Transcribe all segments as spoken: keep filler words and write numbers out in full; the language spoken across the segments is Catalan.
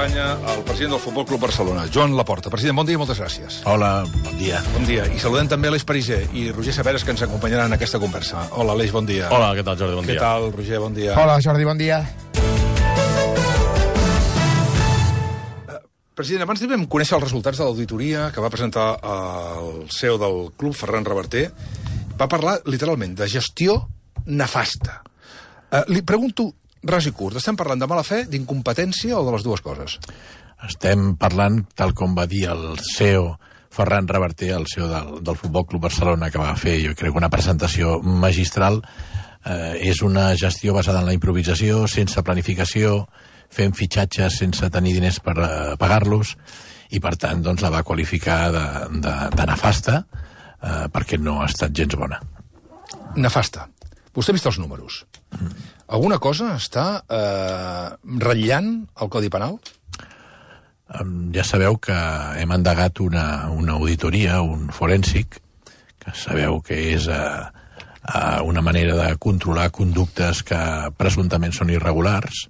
acompanya el president del Futbol Club Barcelona, Joan Laporta. President, bon dia i moltes gràcies. Hola, bon dia. Bon dia. I saludem també Aleix Pariser i Roger Saberes, que ens acompanyaran en aquesta conversa. Hola, Aleix, bon dia. Hola, què tal, Jordi? Bon què dia. Què tal, Roger? Bon dia. Hola, Jordi, bon dia. President, abans vam conèixer els resultats de l'auditoria que va presentar el C E O del club, Ferran Reverter. Va parlar, literalment, de gestió nefasta. Uh, li pregunto, ras i curt, estem parlant de mala fe, d'incompetència o de les dues coses? Estem parlant, tal com va dir el C E O Ferran Reverter, el C E O del, del Futbol Club Barcelona, que va fer, jo crec, una presentació magistral. Eh, és una gestió basada en la improvisació, sense planificació, fent fitxatges sense tenir diners per uh, pagar-los, i per tant doncs, la va qualificar de, de, de nefasta, eh, perquè no ha estat gens bona. Nefasta. Vostè ha vist els números. Mm. Alguna cosa està eh, ratllant el Codi Penal? Um, ja sabeu que hem endegat una, una auditoria, un forènsic, que sabeu que és uh, uh, una manera de controlar conductes que presumptament són irregulars,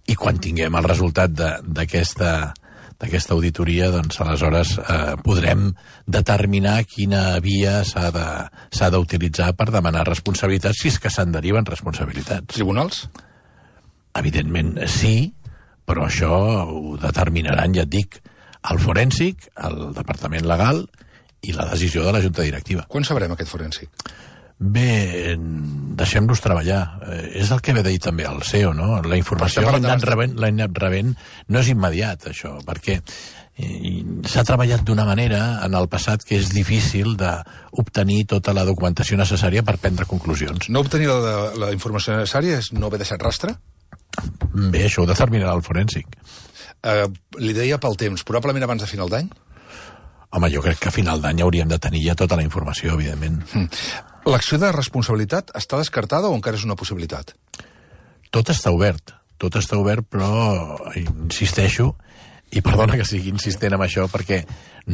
i quan tinguem el resultat d'aquesta d'aquesta auditoria, doncs aleshores eh, podrem determinar quina via s'ha de, s'ha d'utilitzar per demanar responsabilitats, si és que se'n deriven responsabilitats. Tribunals? Evidentment sí, però això ho determinaran, ja et dic, el forènsic, el departament legal i la decisió de la junta directiva. Quan sabrem aquest forènsic? Bé, deixem-los treballar. Eh, és el que ve de dir també el C E O, no? La informació l'hem anat rebent, l'hem anat rebent, no és immediat, això, perquè eh, s'ha treballat d'una manera en el passat que és difícil d'obtenir tota la documentació necessària per prendre conclusions. No obtenir la, la informació necessària és no haver deixat rastre? Bé, això ho determinarà el forènsic. Eh, li deia pel temps, probablement abans de final d'any? Home, jo crec que a final d'any hauríem de tenir ja tota la informació, evidentment. Mm. L'acció de responsabilitat està descartada o encara és una possibilitat? Tot està obert, tot està obert, però insisteixo, i perdona que sigui insistent amb això, perquè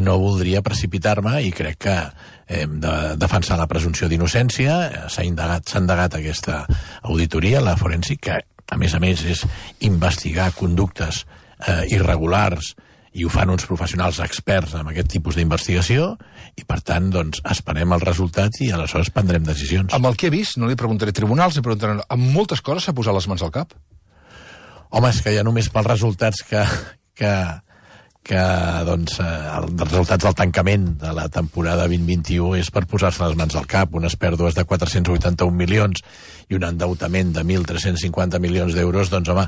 no voldria precipitar-me i crec que hem de defensar la presumpció d'innocència. S'ha indagat, s'ha endegat aquesta auditoria, la forènsic, que a més a més és investigar conductes eh, irregulars, i ho fan uns professionals experts en aquest tipus d'investigació, i per tant, doncs, esperem els resultats i aleshores prendrem decisions. Amb el que he vist, no li preguntaré tribunals, li preguntaré... Amb moltes coses s'ha posat les mans al cap? Home, és que ja només pels resultats que... que que doncs, els resultats del tancament de la temporada vint vint-vint-u és per posar-se les mans al cap, unes pèrdues de quatre-cents vuitanta-un milions i un endeutament de mil tres-cents cinquanta milions d'euros, doncs home,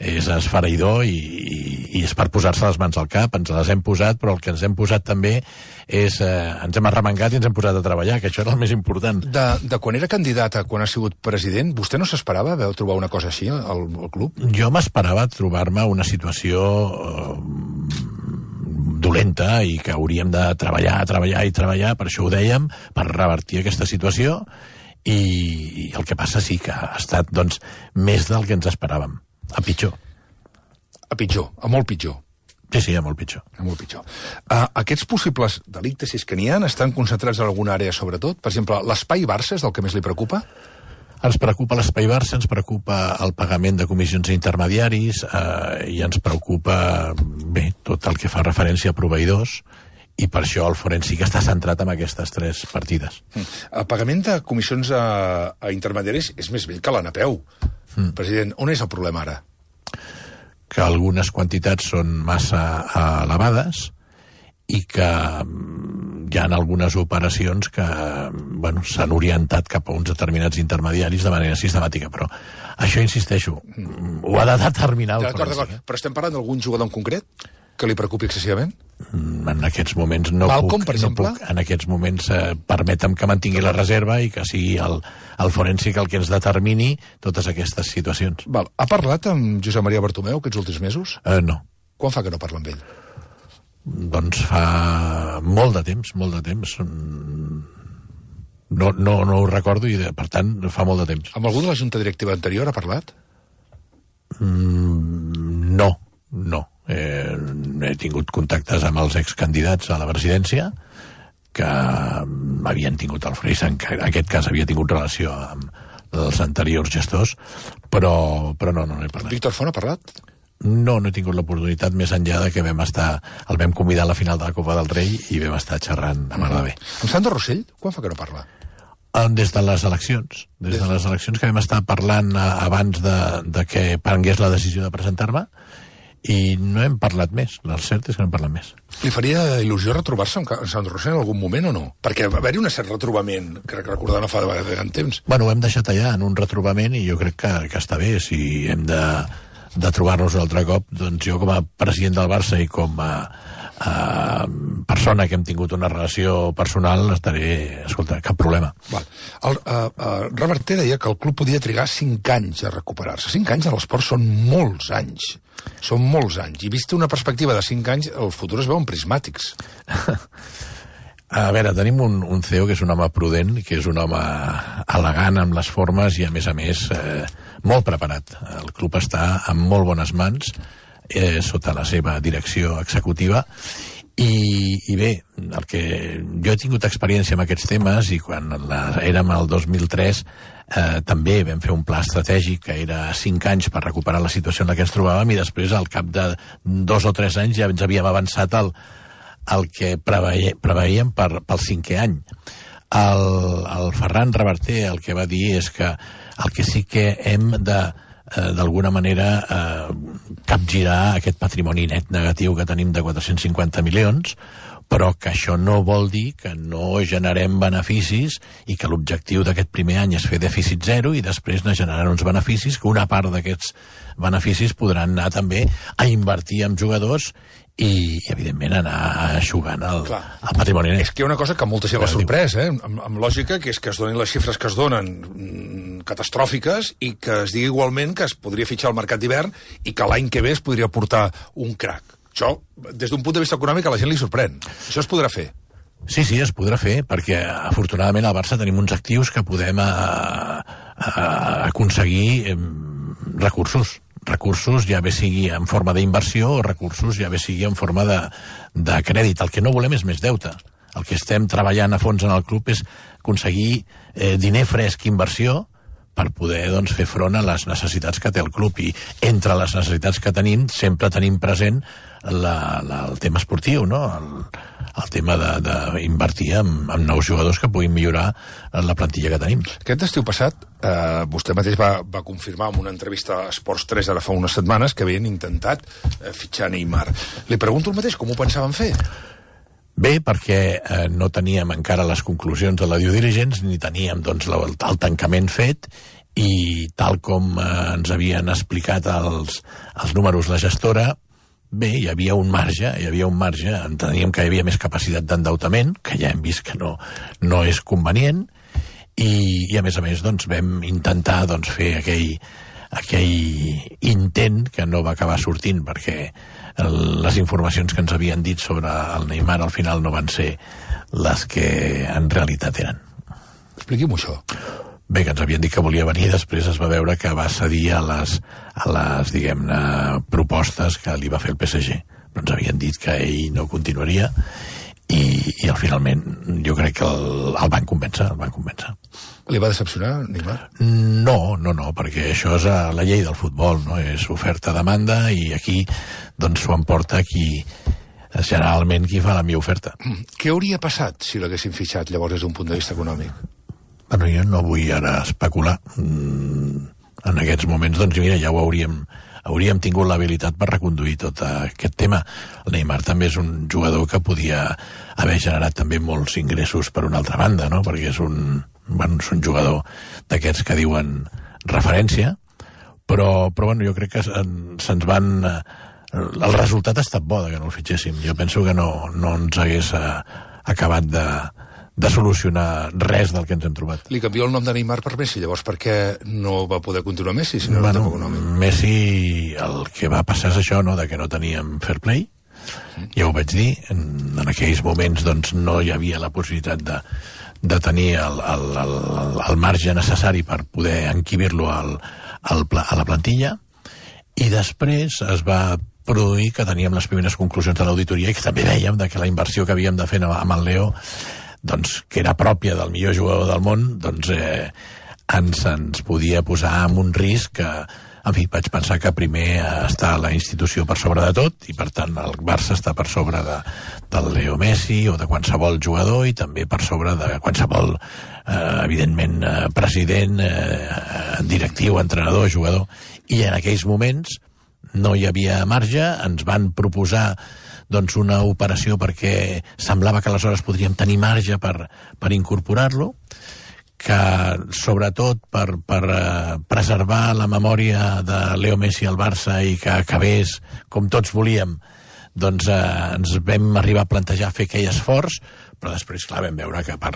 és esfereïdor i, i, i és per posar-se les mans al cap. Ens les hem posat, però el que ens hem posat també és, eh, ens hem arremangat i ens hem posat a treballar, que això era el més important. De, de quan era candidat a quan ha sigut president, vostè no s'esperava veure trobar una cosa així al, al club? Jo m'esperava trobar-me una situació eh, dolenta i que hauríem de treballar, treballar i treballar, per això ho dèiem, per revertir aquesta situació, i, i el que passa sí que ha estat, doncs, més del que ens esperàvem. A pitjor. A pitjor, a molt pitjor. Sí, sí, a molt pitjor. A molt pitjor. Uh, aquests possibles delictes, si és que n'hi ha, estan concentrats en alguna àrea, sobretot? Per exemple, l'espai Barça és el que més li preocupa? Ens preocupa l'espai Barça, ens preocupa el pagament de comissions intermediaris, eh, i ens preocupa, bé, tot el que fa referència a proveïdors, i per això el forènsic està centrat en aquestes tres partides. Mm. El pagament de comissions a, a intermediaris és més vell que la Napeu. Mm. President, on és el problema ara? Que algunes quantitats són massa elevades i que hi ha algunes operacions que bueno, s'han orientat cap a uns determinats intermediaris de manera sistemàtica, però això, insisteixo, ho ha de determinar el forènsic. Però estem parlant d'algun jugador en concret que li preocupi excessivament? En aquests moments no Malcom, puc, per exemple? no puc. En aquests moments eh, permetem que mantingui la reserva i que sigui el, el forènsic el que ens determini totes aquestes situacions. Val. Ha parlat amb Josep Maria Bartomeu aquests últims mesos? Eh, no. Quan fa que no parla amb ell? Doncs fa molt de temps, molt de temps. No, no, no ho recordo i, per tant, fa molt de temps. Amb algú de la junta directiva anterior ha parlat? Mm, no, no. Eh, he tingut contactes amb els excandidats a la presidència que havien tingut el Freisa, en aquest cas havia tingut relació amb els anteriors gestors, però, però no, no n'he parlat. Víctor Font ha parlat? No, no he tingut l'oportunitat més enllà de que vam estar, el vam convidar a la final de la Copa del Rei i vam estar xerrant a mar de bé. Amb Sandro Rossell, quan fa que no parla? Des de les eleccions. Des, des de les eleccions que vam estar parlant abans de, de que prengués la decisió de presentar-me, i no hem parlat més. El cert és que no hem parlat més. Li faria il·lusió retrobar-se amb Sandro Rossell en algun moment o no? Perquè va haver-hi un cert retrobament, crec recordar no fa de gran temps. Bueno, ho hem deixat allà en un retrobament i jo crec que, que està bé. Si hem de, de trobar-nos un altre cop, doncs jo com a president del Barça i com a Uh, persona que hem tingut una relació personal estaré, escolta, cap problema. Val. El, uh, uh, Reverter deia que el club podia trigar cinc anys a recuperar-se. Cinc anys a l'esport són molts anys. Són molts anys. I vist una perspectiva de cinc anys, els futurs es veuen prismàtics. A veure, tenim un, un C E O que és un home prudent, que és un home elegant amb les formes i, a més a més, eh, molt preparat. El club està en molt bones mans, Eh, sota la seva direcció executiva i, i bé, el que jo he tingut experiència en aquests temes i quan la, érem al dos mil tres eh, també vam fer un pla estratègic que era cinc anys per recuperar la situació en la que ens trobàvem i després al cap de dos o tres anys ja ens havíem avançat al, al que preveia, preveiem per, pel cinquè any. El, el Ferran Reverter el que va dir és que el que sí que hem de Eh, d'alguna manera eh, capgirar aquest patrimoni net negatiu que tenim de quatre-cents cinquanta milions, però que això no vol dir que no generem beneficis i que l'objectiu d'aquest primer any és fer dèficit zero i després ne generaran uns beneficis que una part d'aquests beneficis podran anar també a invertir en jugadors i, evidentment, anar aixugant el, el patrimoni net. És que hi ha una cosa que molta gent l'ha sorprès, eh? amb, amb lògica, que és que es donin les xifres que es donen mm, catastròfiques i que es digui igualment que es podria fitxar al mercat d'hivern i que l'any que ve es podria portar un crac. Això, des d'un punt de vista econòmic, a la gent li sorprèn. Això es podrà fer. Sí, sí, es podrà fer, perquè afortunadament al Barça tenim uns actius que podem a, a, aconseguir eh, recursos. recursos ja bé sigui en forma d'inversió o recursos ja bé sigui en forma de, de crèdit. El que no volem és més deute. El que estem treballant a fons en el club és aconseguir eh, diner fresc, inversió, per poder doncs, fer front a les necessitats que té el club. I entre les necessitats que tenim sempre tenim present la, la, el tema esportiu, no? el, el tema d'invertir en, en nous jugadors que puguin millorar la plantilla que tenim. Aquest estiu passat, eh, vostè mateix va, va confirmar en una entrevista a Esports tres ara fa unes setmanes que havien intentat eh, fitxar Neymar. Li pregunto el mateix, com ho pensaven fer? Bé, perquè eh, no teníem encara les conclusions de la due diligence, ni teníem doncs, el, el tancament fet, i tal com eh, ens havien explicat els, els números la gestora, bé, hi havia un marge, hi havia un marge, enteníem que hi havia més capacitat d'endeutament, que ja hem vist que no, no és convenient, i, i a més a més doncs, vam intentar doncs, fer aquell, aquell intent que no va acabar sortint, perquè el, les informacions que ens havien dit sobre el Neymar al final no van ser les que en realitat eren. Expliqui'm això. Bé, que ens havien dit que volia venir, després es va veure que va cedir a les, a les diguem-ne, propostes que li va fer el P S G. Però ens havien dit que ell no continuaria i, i al finalment jo crec que el, el van convèncer, el van convèncer. Li va decepcionar, Neymar? No, no, no, perquè això és la llei del futbol, no? És oferta-demanda i aquí doncs s'ho emporta qui generalment qui fa la millor oferta. Què hauria passat si l'haguessin fitxat llavors des d'un punt de vista econòmic? Bueno, jo no vull ara especular. Mm, en aquests moments, doncs, mira, ja ho hauríem, hauríem tingut l'habilitat per reconduir tot aquest tema. El Neymar també és un jugador que podia haver generat també molts ingressos per una altra banda, no? Perquè és un, bueno, és un jugador d'aquests que diuen referència, però, però bueno, jo crec que se'ns van... El resultat ha estat bo que no el fitxéssim. Jo penso que no, no ens hagués acabat de... de solucionar res del que ens hem trobat. Li canvia el nom de Neymar per Messi, llavors per què no va poder continuar Messi, si no era bueno, tan econòmic? Messi, el que va passar és això, no?, de que no teníem fair play, sí. Ja ho vaig dir, en, en aquells moments doncs, no hi havia la possibilitat de, de tenir el, el, el, el marge necessari per poder enquibir-lo al, al, a la plantilla, i després es va produir que teníem les primeres conclusions de l'auditoria i que també vèiem de que la inversió que havíem de fer amb el Leo, doncs, que era pròpia del millor jugador del món, doncs eh, ens, ens podia posar en un risc que en fi, vaig pensar que primer està la institució per sobre de tot, i per tant el Barça està per sobre de, del Leo Messi o de qualsevol jugador, i també per sobre de qualsevol, eh, evidentment, eh, president, eh, directiu, entrenador, jugador. I en aquells moments no hi havia marge, ens van proposar doncs, una operació perquè semblava que aleshores podríem tenir marge per, per incorporar-lo, que sobretot per, per uh, preservar la memòria de Leo Messi al Barça i que acabés com tots volíem, doncs uh, ens vam arribar a plantejar fer aquell esforç, però després, clar, vam veure que per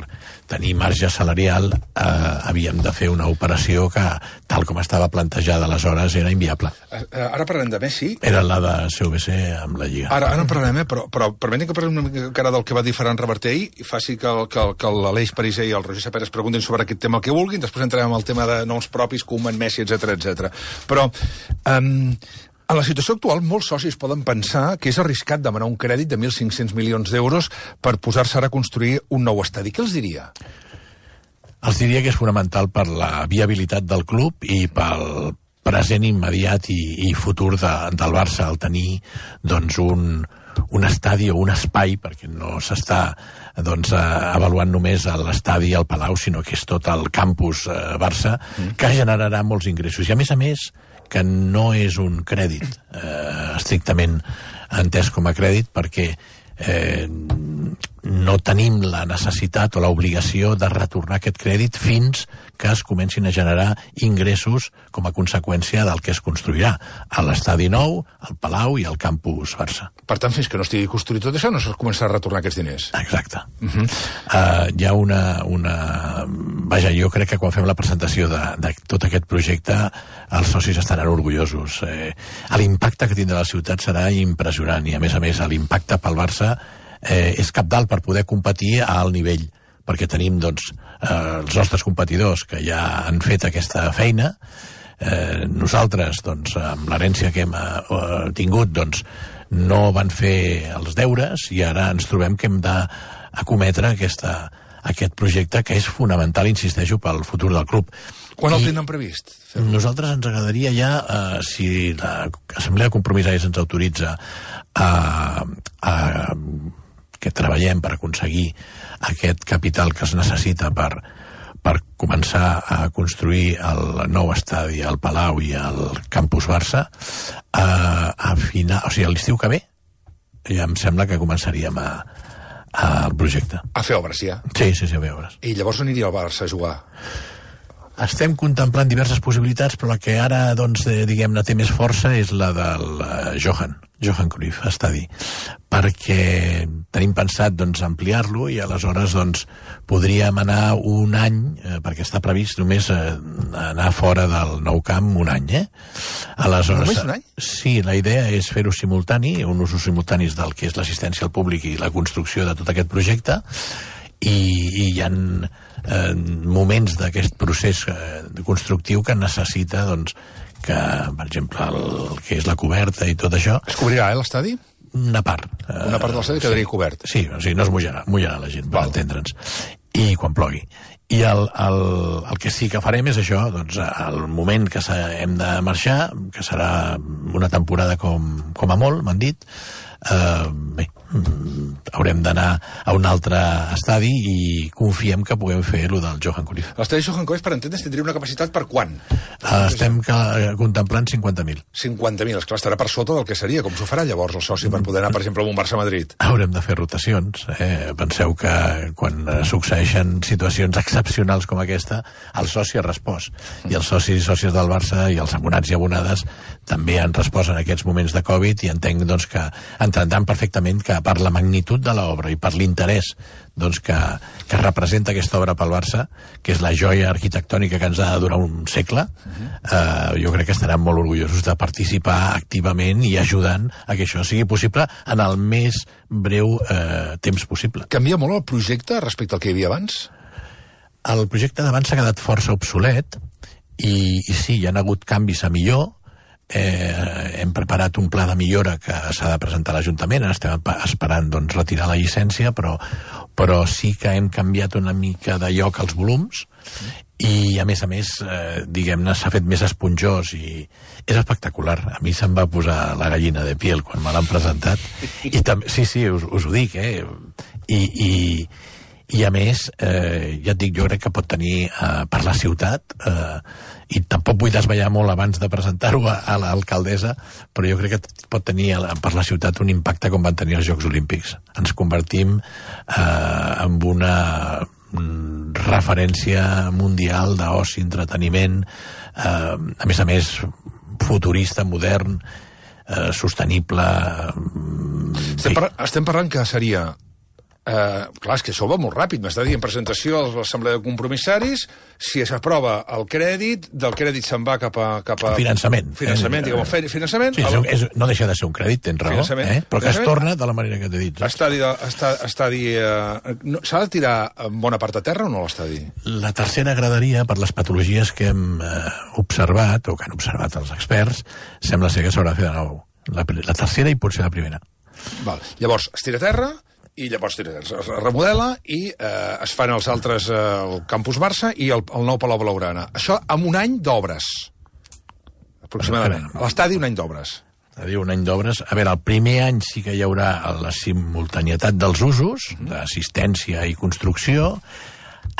tenir marge salarial eh, havíem de fer una operació que, tal com estava plantejada aleshores, era inviable. Ara parlem de Messi. Era la de C V C amb la Lliga. Ara, ara en parlem, eh? però, però permetin que parlem una mica del que va dir Ferran Reverter ahir i faci que, que, que l'Aleix Pariser i el Roger Sapera es preguntin sobre aquest tema el que vulguin, després entrem al tema de noms propis, Koeman, Messi, etcètera, etcètera. Però... Um, en la situació actual, molts socis poden pensar que és arriscat demanar un crèdit de mil cinc-cents milions d'euros per posar-se ara a construir un nou estadi. Què els diria? Els diria que és fonamental per la viabilitat del club i pel present immediat i, i futur de, del Barça, al tenir doncs, un, un estadi o un espai, perquè no s'està doncs, avaluant només l'estadi al Palau, sinó que és tot el campus eh, Barça, mm. que generarà molts ingressos. I a més a més, que no és un crèdit eh, estrictament entès com a crèdit, perquè eh, no tenim la necessitat o l'obligació de retornar aquest crèdit fins que es comencin a generar ingressos com a conseqüència del que es construirà a l'estadi nou, al Palau i al campus Barça. Per tant, fins que no estigui construït tot això, no es començarà a retornar aquests diners. Exacte. Uh-huh. uh, hi ha una, una... Vaja, jo crec que quan fem la presentació de, de tot aquest projecte, els socis estaran orgullosos. Eh, l'impacte que tindrà la ciutat serà impressionant, i a més a més l'impacte pel Barça eh, és cabdal per poder competir a alt nivell, perquè tenim doncs, eh, els nostres competidors que ja han fet aquesta feina. Eh, nosaltres, doncs, amb l'herència que hem eh, tingut, doncs, no van fer els deures, i ara ens trobem que hem d'acometre aquesta, aquest projecte que és fonamental, insisteixo, pel futur del club. Quan el tenen previst? Nosaltres ens agradaria ja, eh, si l'Assemblea de Compromissaris ens autoritza a, a que treballem per aconseguir aquest capital que es necessita per, per començar a construir el nou estadi al Palau i al campus Barça, a, a final, o sigui, a l'estiu que ve, ja em sembla que començaríem a, a el projecte. A fer obres, ja? Sí, sí, sí, a fer obres. I llavors on iria el Barça a jugar? Estem contemplant diverses possibilitats, però la que ara, doncs, eh, diguem-ne, té més força és la del uh, Johan, Johan Cruyff Estadi, perquè tenim pensat, doncs, ampliar-lo, i aleshores, doncs, podríem anar un any, eh, perquè està previst només eh, anar fora del nou camp un any, eh? Aleshores, només un any? Sí, la idea és fer-ho simultani, un usos simultanis del que és l'assistència al públic i la construcció de tot aquest projecte, i, i hi ha eh, moments d'aquest procés eh, constructiu que necessita, doncs, que, per exemple, el, el que és la coberta i tot això... Es cobrirà, eh, l'estadi? Una part. Una part de l'estadi eh, quedaria sí, cobert. Sí, o sigui, no es mullarà, mullarà la gent, per entendre'ns. I quan plogui. I el, el, el que sí que farem és això, doncs, al moment que hem de marxar, que serà una temporada com, com a molt, m'han dit, eh, bé, haurem d'anar a un altre estadi i confiem que puguem fer lo del Johan Cruyff. L'estadi Johan Cruyff, per entendre's, tindria una capacitat per quan? Uh, estem que, contemplant cinquanta mil. cinquanta mil, esclar, estarà per sota del que seria. Com s'ho farà llavors el soci per poder anar, per exemple, a un Barça-Madrid? Haurem de fer rotacions. Eh? Penseu que quan succeeixen situacions excepcionals com aquesta, el soci ha respost. I els socis i sòcies del Barça i els abonats i abonades també han respost en aquests moments de Covid, i entenc, doncs, que entendran perfectament que per la magnitud de l'obra i per l'interès, doncs, que, que representa aquesta obra pel Barça, que és la joia arquitectònica que ens ha de durar un segle, eh, jo crec que estaran molt orgullosos de participar activament i ajudant a que això sigui possible en el més breu eh, temps possible. Canvia molt el projecte respecte al que hi havia abans? El projecte d'abans s'ha quedat força obsolet, i, i sí, hi ha hagut canvis a millor. eh, hem preparat un pla de millora que s'ha de presentar a l'Ajuntament, estem esperant doncs, retirar la llicència, però, però sí que hem canviat una mica de lloc als volums, i a més a més, eh, diguem-ne, s'ha fet més esponjós i és espectacular. A mi se'm va posar la gallina de piel quan me l'han presentat. I també, sí, sí, us, us ho dic, eh? I, i, i a més, eh, ja et dic, jo crec que pot tenir eh, per la ciutat, eh, i tampoc vull desvetllar molt abans de presentar-ho a, a l'alcaldessa, però jo crec que pot tenir per la ciutat un impacte com van tenir els Jocs Olímpics. Ens convertim eh, en una referència mundial d'oci, entreteniment, eh, a més a més futurista, modern, eh, sostenible. Estem, par estem parlant que seria... Uh, clar, és que això va molt ràpid. M'està dient presentació a l'Assemblea de Compromissaris, si s'aprova el crèdit, del crèdit se'n va cap a... Cap a finançament. Finançament, eh, diguem, finançament. Sí, el... és, no deixa de ser un crèdit, tens raó, eh? Però que es torna de la manera que t'he dit. Estadi, estadi, uh, no, s'ha de tirar bona part a terra o no l'estadi? La tercera graderia, per les patologies que hem uh, observat, o que han observat els experts, sembla ser que s'haurà de fer de nou. La, la tercera i potser la primera. Val. Llavors, es tira a terra, i llavors es remodela i eh, es fan els altres, eh, el Campus Barça i el, el nou Palau Blaugrana. Això amb un any d'obres, aproximadament. A l'estadi un any d'obres. L'estadi un any d'obres. A veure, el primer any sí que hi haurà la simultanietat dels usos, uh-huh. d'assistència i construcció.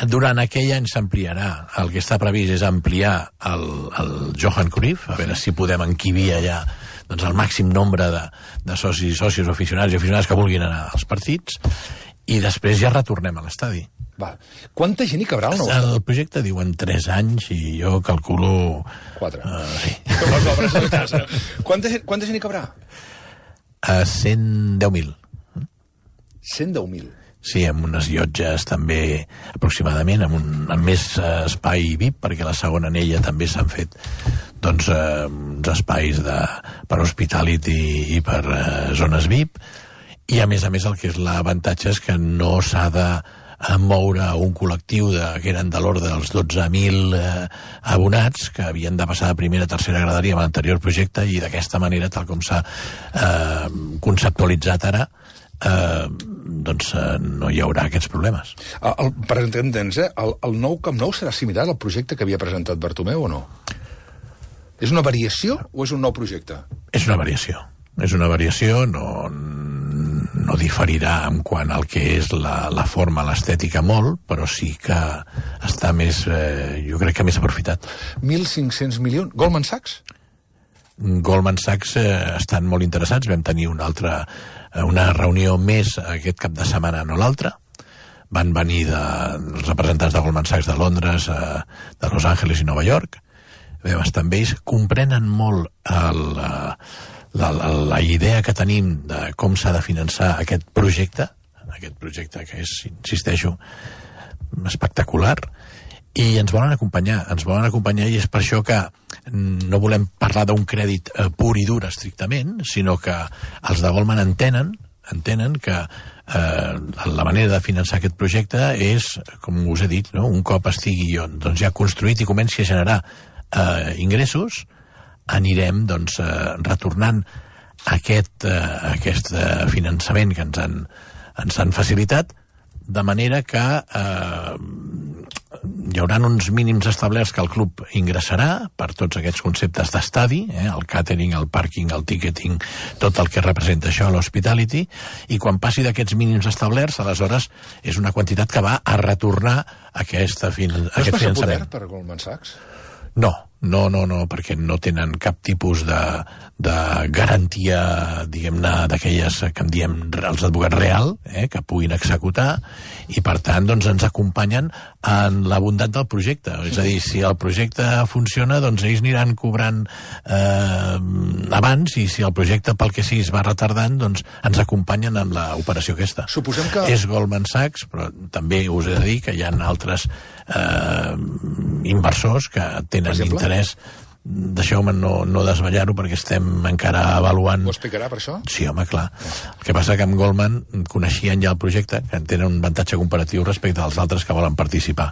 Durant aquell any s'ampliarà. El que està previst és ampliar el, el Johan Cruyff, a veure si podem encabir allà doncs el màxim nombre de, de socis, socis, aficionats i aficionats que vulguin anar als partits, i després ja retornem a l'estadi. Val. Quanta gent hi cabrà al nou? El projecte diuen tres anys i jo calculo... Quatre. Uh, sí. Com les obres de casa. Quanta, quanta gent hi cabrà? Uh, cent deu mil. cent deu mil. Sí, amb unes llotges també aproximadament, amb, un, amb més uh, espai V I P, perquè la segona anella també s'han fet doncs, uh, uns espais de, per hospitality i per uh, zones V I P, i a més a més el que és l'avantatge és que no s'ha de uh, moure un col·lectiu de, que eren de l'ordre dels dotze mil uh, abonats, que havien de passar de primera a tercera graderia amb l'anterior projecte, i d'aquesta manera, tal com s'ha uh, conceptualitzat ara, Uh, doncs uh, no hi haurà aquests problemes. El, el, per entendre'ns, eh, el, el nou Camp Nou serà similar al projecte que havia presentat Bartomeu o no? És una variació o és un nou projecte? És una variació. És una variació, no, no diferirà en quant al que és la, la forma, l'estètica molt, però sí que està més, eh, jo crec que més aprofitat. mil cinc-cents milions? Goldman Sachs? Goldman Sachs eh, estan molt interessats. Vam tenir una altra una reunió més aquest cap de setmana, no l'altra. Van venir de, els representants de Goldman Sachs de Londres, eh, de Los Angeles i Nova York. Vam estar amb ells. Comprenen molt el, la, la, la idea que tenim de com s'ha de finançar aquest projecte, aquest projecte que és, insisteixo, espectacular, i ens volen acompanyar, ens volen acompanyar, i és per això que no volem parlar d'un crèdit eh, pur i dur estrictament, sinó que els de Goldman entenen, entenen que eh, la manera de finançar aquest projecte és, com us he dit, no? Un cop estigui doncs, ja construït i comenci a generar eh, ingressos, anirem doncs, eh, retornant aquest, eh, aquest eh, finançament que ens han, ens han facilitat, de manera que eh, hi haurà uns mínims establerts que el club ingressarà per tots aquests conceptes d'estadi, eh, el catering, el parking, el ticketing, tot el que representa això, l'hospitality, i quan passi d'aquests mínims establerts, aleshores és una quantitat que va a retornar aquesta fin no aquest finançament. No és massa poder per Goldman Sachs? No, no, no, no, perquè no tenen cap tipus de, de garantia, diguem-ne, d'aquelles que en diem els advocats real, eh, que puguin executar, i per tant doncs, ens acompanyen en la bondat del projecte. És a dir, si el projecte funciona, doncs ells aniran cobrant eh, abans, i si el projecte pel que sigui es va retardant, doncs ens acompanyen en l'operació aquesta. Suposem que... És Goldman Sachs, però també us he de dir que hi ha altres eh, inversors que tenen interès deixeu-me no, no desvetllar-ho perquè estem encara avaluant... Ho explicarà per això? Sí, home, clar. El que passa que amb Goldman coneixien ja el projecte, que tenen un avantatge comparatiu respecte als altres que volen participar.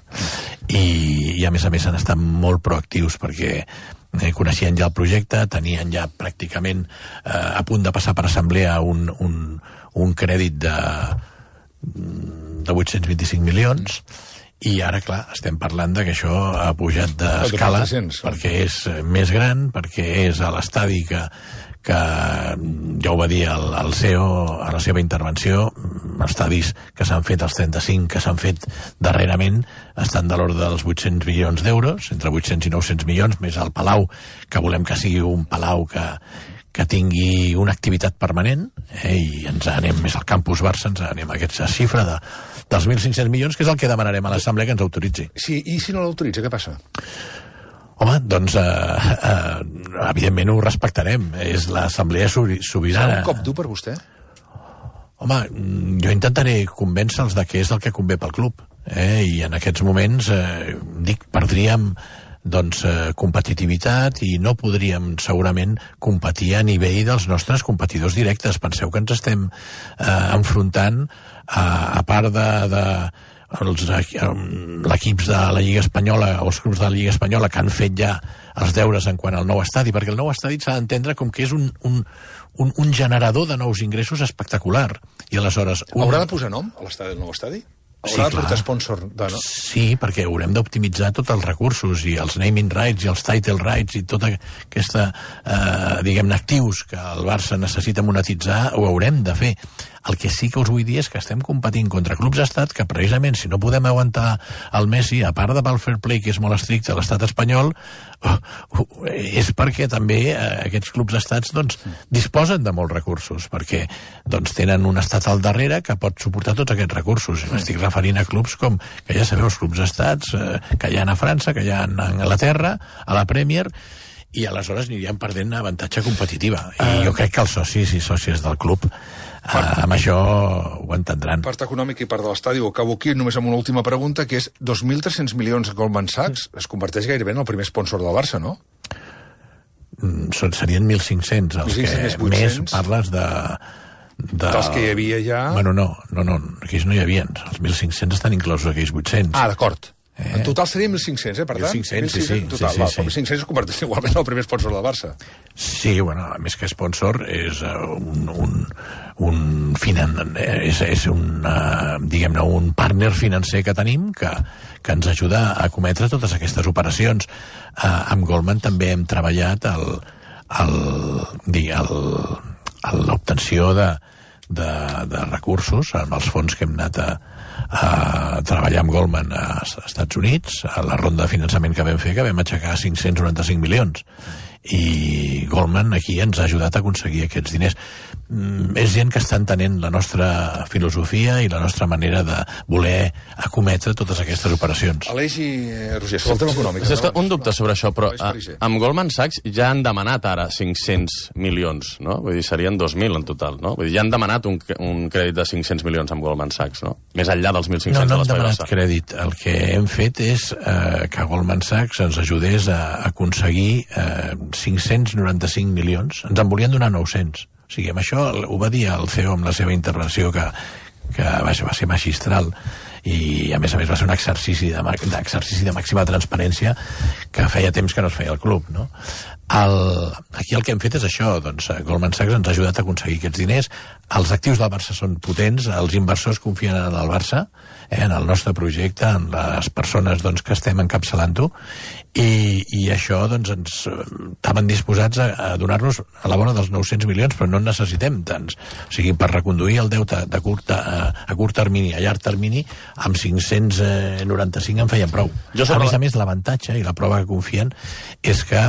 I, i a més a més han estat molt proactius perquè eh, coneixien ja el projecte, tenien ja pràcticament eh, a punt de passar per assemblea un, un, un crèdit de, de vuit-cents vint-i-cinc milions, i ara, clar, estem parlant de que això ha pujat d'escala perquè és més gran, perquè és a l'estadi que, que ja ho va dir el, el C E O a la seva intervenció, estadis que s'han fet, els trenta-cinc que s'han fet darrerament, estan de l'ordre dels vuit-cents milions d'euros, entre vuit-cents i nou-cents milions, més el Palau, que volem que sigui un Palau que, que tingui una activitat permanent, eh, i ens anem més al campus Barça, ens anem a aquesta xifra de dels mil cinc-cents milions, que és el que demanarem a l'Assemblea que ens autoritzi. Sí, i si no l'autoritza, què passa? Home, doncs, eh, eh, evidentment ho respectarem. És l'Assemblea sobirana. Serà un cop dur per vostè? Home, jo intentaré convèncer-los de què és el que convé pel club. Eh? I en aquests moments, eh, dic, perdríem doncs, eh, competitivitat i no podríem segurament competir a nivell dels nostres competidors directes. Penseu que ens estem eh, enfrontant a, a part de, de els l'equips de la Lliga Espanyola o els clubs de la Lliga Espanyola que han fet ja els deures en quant al nou estadi, perquè el nou estadi s'ha d'entendre com que és un, un, un, un generador de nous ingressos espectacular. I aleshores... Un... Haurà de posar nom a l'estadi del nou estadi? Sí, haurà de clar. portar sponsor de, no? Sí, perquè haurem d'optimitzar tots els recursos i els naming rights i els title rights i tota aquesta, eh, diguem-ne, actius que el Barça necessita monetitzar, ho haurem de fer. El que sí que us vull dir és que estem competint contra clubs estat que precisament si no podem aguantar el Messi, a part de pel fair play que és molt estricte a l'estat espanyol, és perquè també eh, aquests clubs estats doncs, disposen de molts recursos, perquè doncs, tenen un estat al darrere que pot suportar tots aquests recursos. M'estic referint a clubs com, que ja sabeu, els clubs estats eh, que hi ha a França, que hi ha a Anglaterra, a la Premier, i aleshores aniríem perdent avantatge competitiva. I jo crec que els socis i sòcies del club Uh, amb això ho entendran. Part econòmica i part de l'estadi, ho acabo aquí només amb una última pregunta, que és dos mil tres-cents milions a Goldman Sachs es converteix gairebé en el primer sponsor del Barça, no? Mm, serien mil cinc-cents, els mil cinc-cents, que més parles de, de... Dels que hi havia ja... Bueno, no, no, no, aquells no hi havia. Els mil cinc-cents estan inclosos aquells vuit-cents. Ah, d'acord. Eh? En total seria mil cinc-cents, eh, per tant? mil cinc-cents, sí, sí. Total, sí, sí, sí. mil cinc-cents es converteix igualment en el primer sponsor del Barça. Sí, bueno, a més que sponsor és uh, un, un, un, finan... és, és un, uh, diguem-ne, un partner financer que tenim que, que ens ajuda a cometre totes aquestes operacions. Uh, amb Goldman també hem treballat el, el, el, el, l'obtenció de, de, de recursos amb els fons que hem anat a a treballar amb Goldman als Estats Units, a la ronda de finançament que vam fer, que vam aixecar cinc-cents noranta-cinc milions. I Goldman aquí ens ha ajudat a aconseguir aquests diners. Mm, és gent que està entenent la nostra filosofia i la nostra manera de voler acometre totes aquestes operacions. Aleix i eh, Roger, sobre el tema econòmic. Sí, no? Un dubte sobre això, però a, amb Goldman Sachs ja han demanat ara cinc-cents milions, no? Vull dir, serien dos mil en total, no? Vull dir, ja han demanat un, un crèdit de cinc-cents milions amb Goldman Sachs, no? Més enllà dels mil cinc-cents no, no de hem l'Espai demanat crèdit. El que hem fet és eh, que Goldman Sachs ens ajudés a, a aconseguir eh, cinc-cents noranta-cinc milions. Ens en volien donar nou-cents. O sigui, amb això ho va dir el C E O amb la seva intervenció, que, que va ser magistral, i a més a més va ser un exercici de, d'exercici de màxima transparència que feia temps que no es feia al club, no? El, aquí el que hem fet és això, doncs Goldman Sachs ens ha ajudat a aconseguir aquests diners. Els actius del Barça són potents, els inversors confien en el Barça, eh, en el nostre projecte, en les persones doncs, que estem encapçalant-ho, i, i això doncs, ens estaven disposats a, a donar-nos a la vora dels nou-cents milions, però no en necessitem tants. O sigui, per reconduir el deute de curt, a, a curt termini, a llarg termini, amb cinc-cents noranta-cinc en feien prou. Jo a més a més, l'avantatge i la prova que confien és que,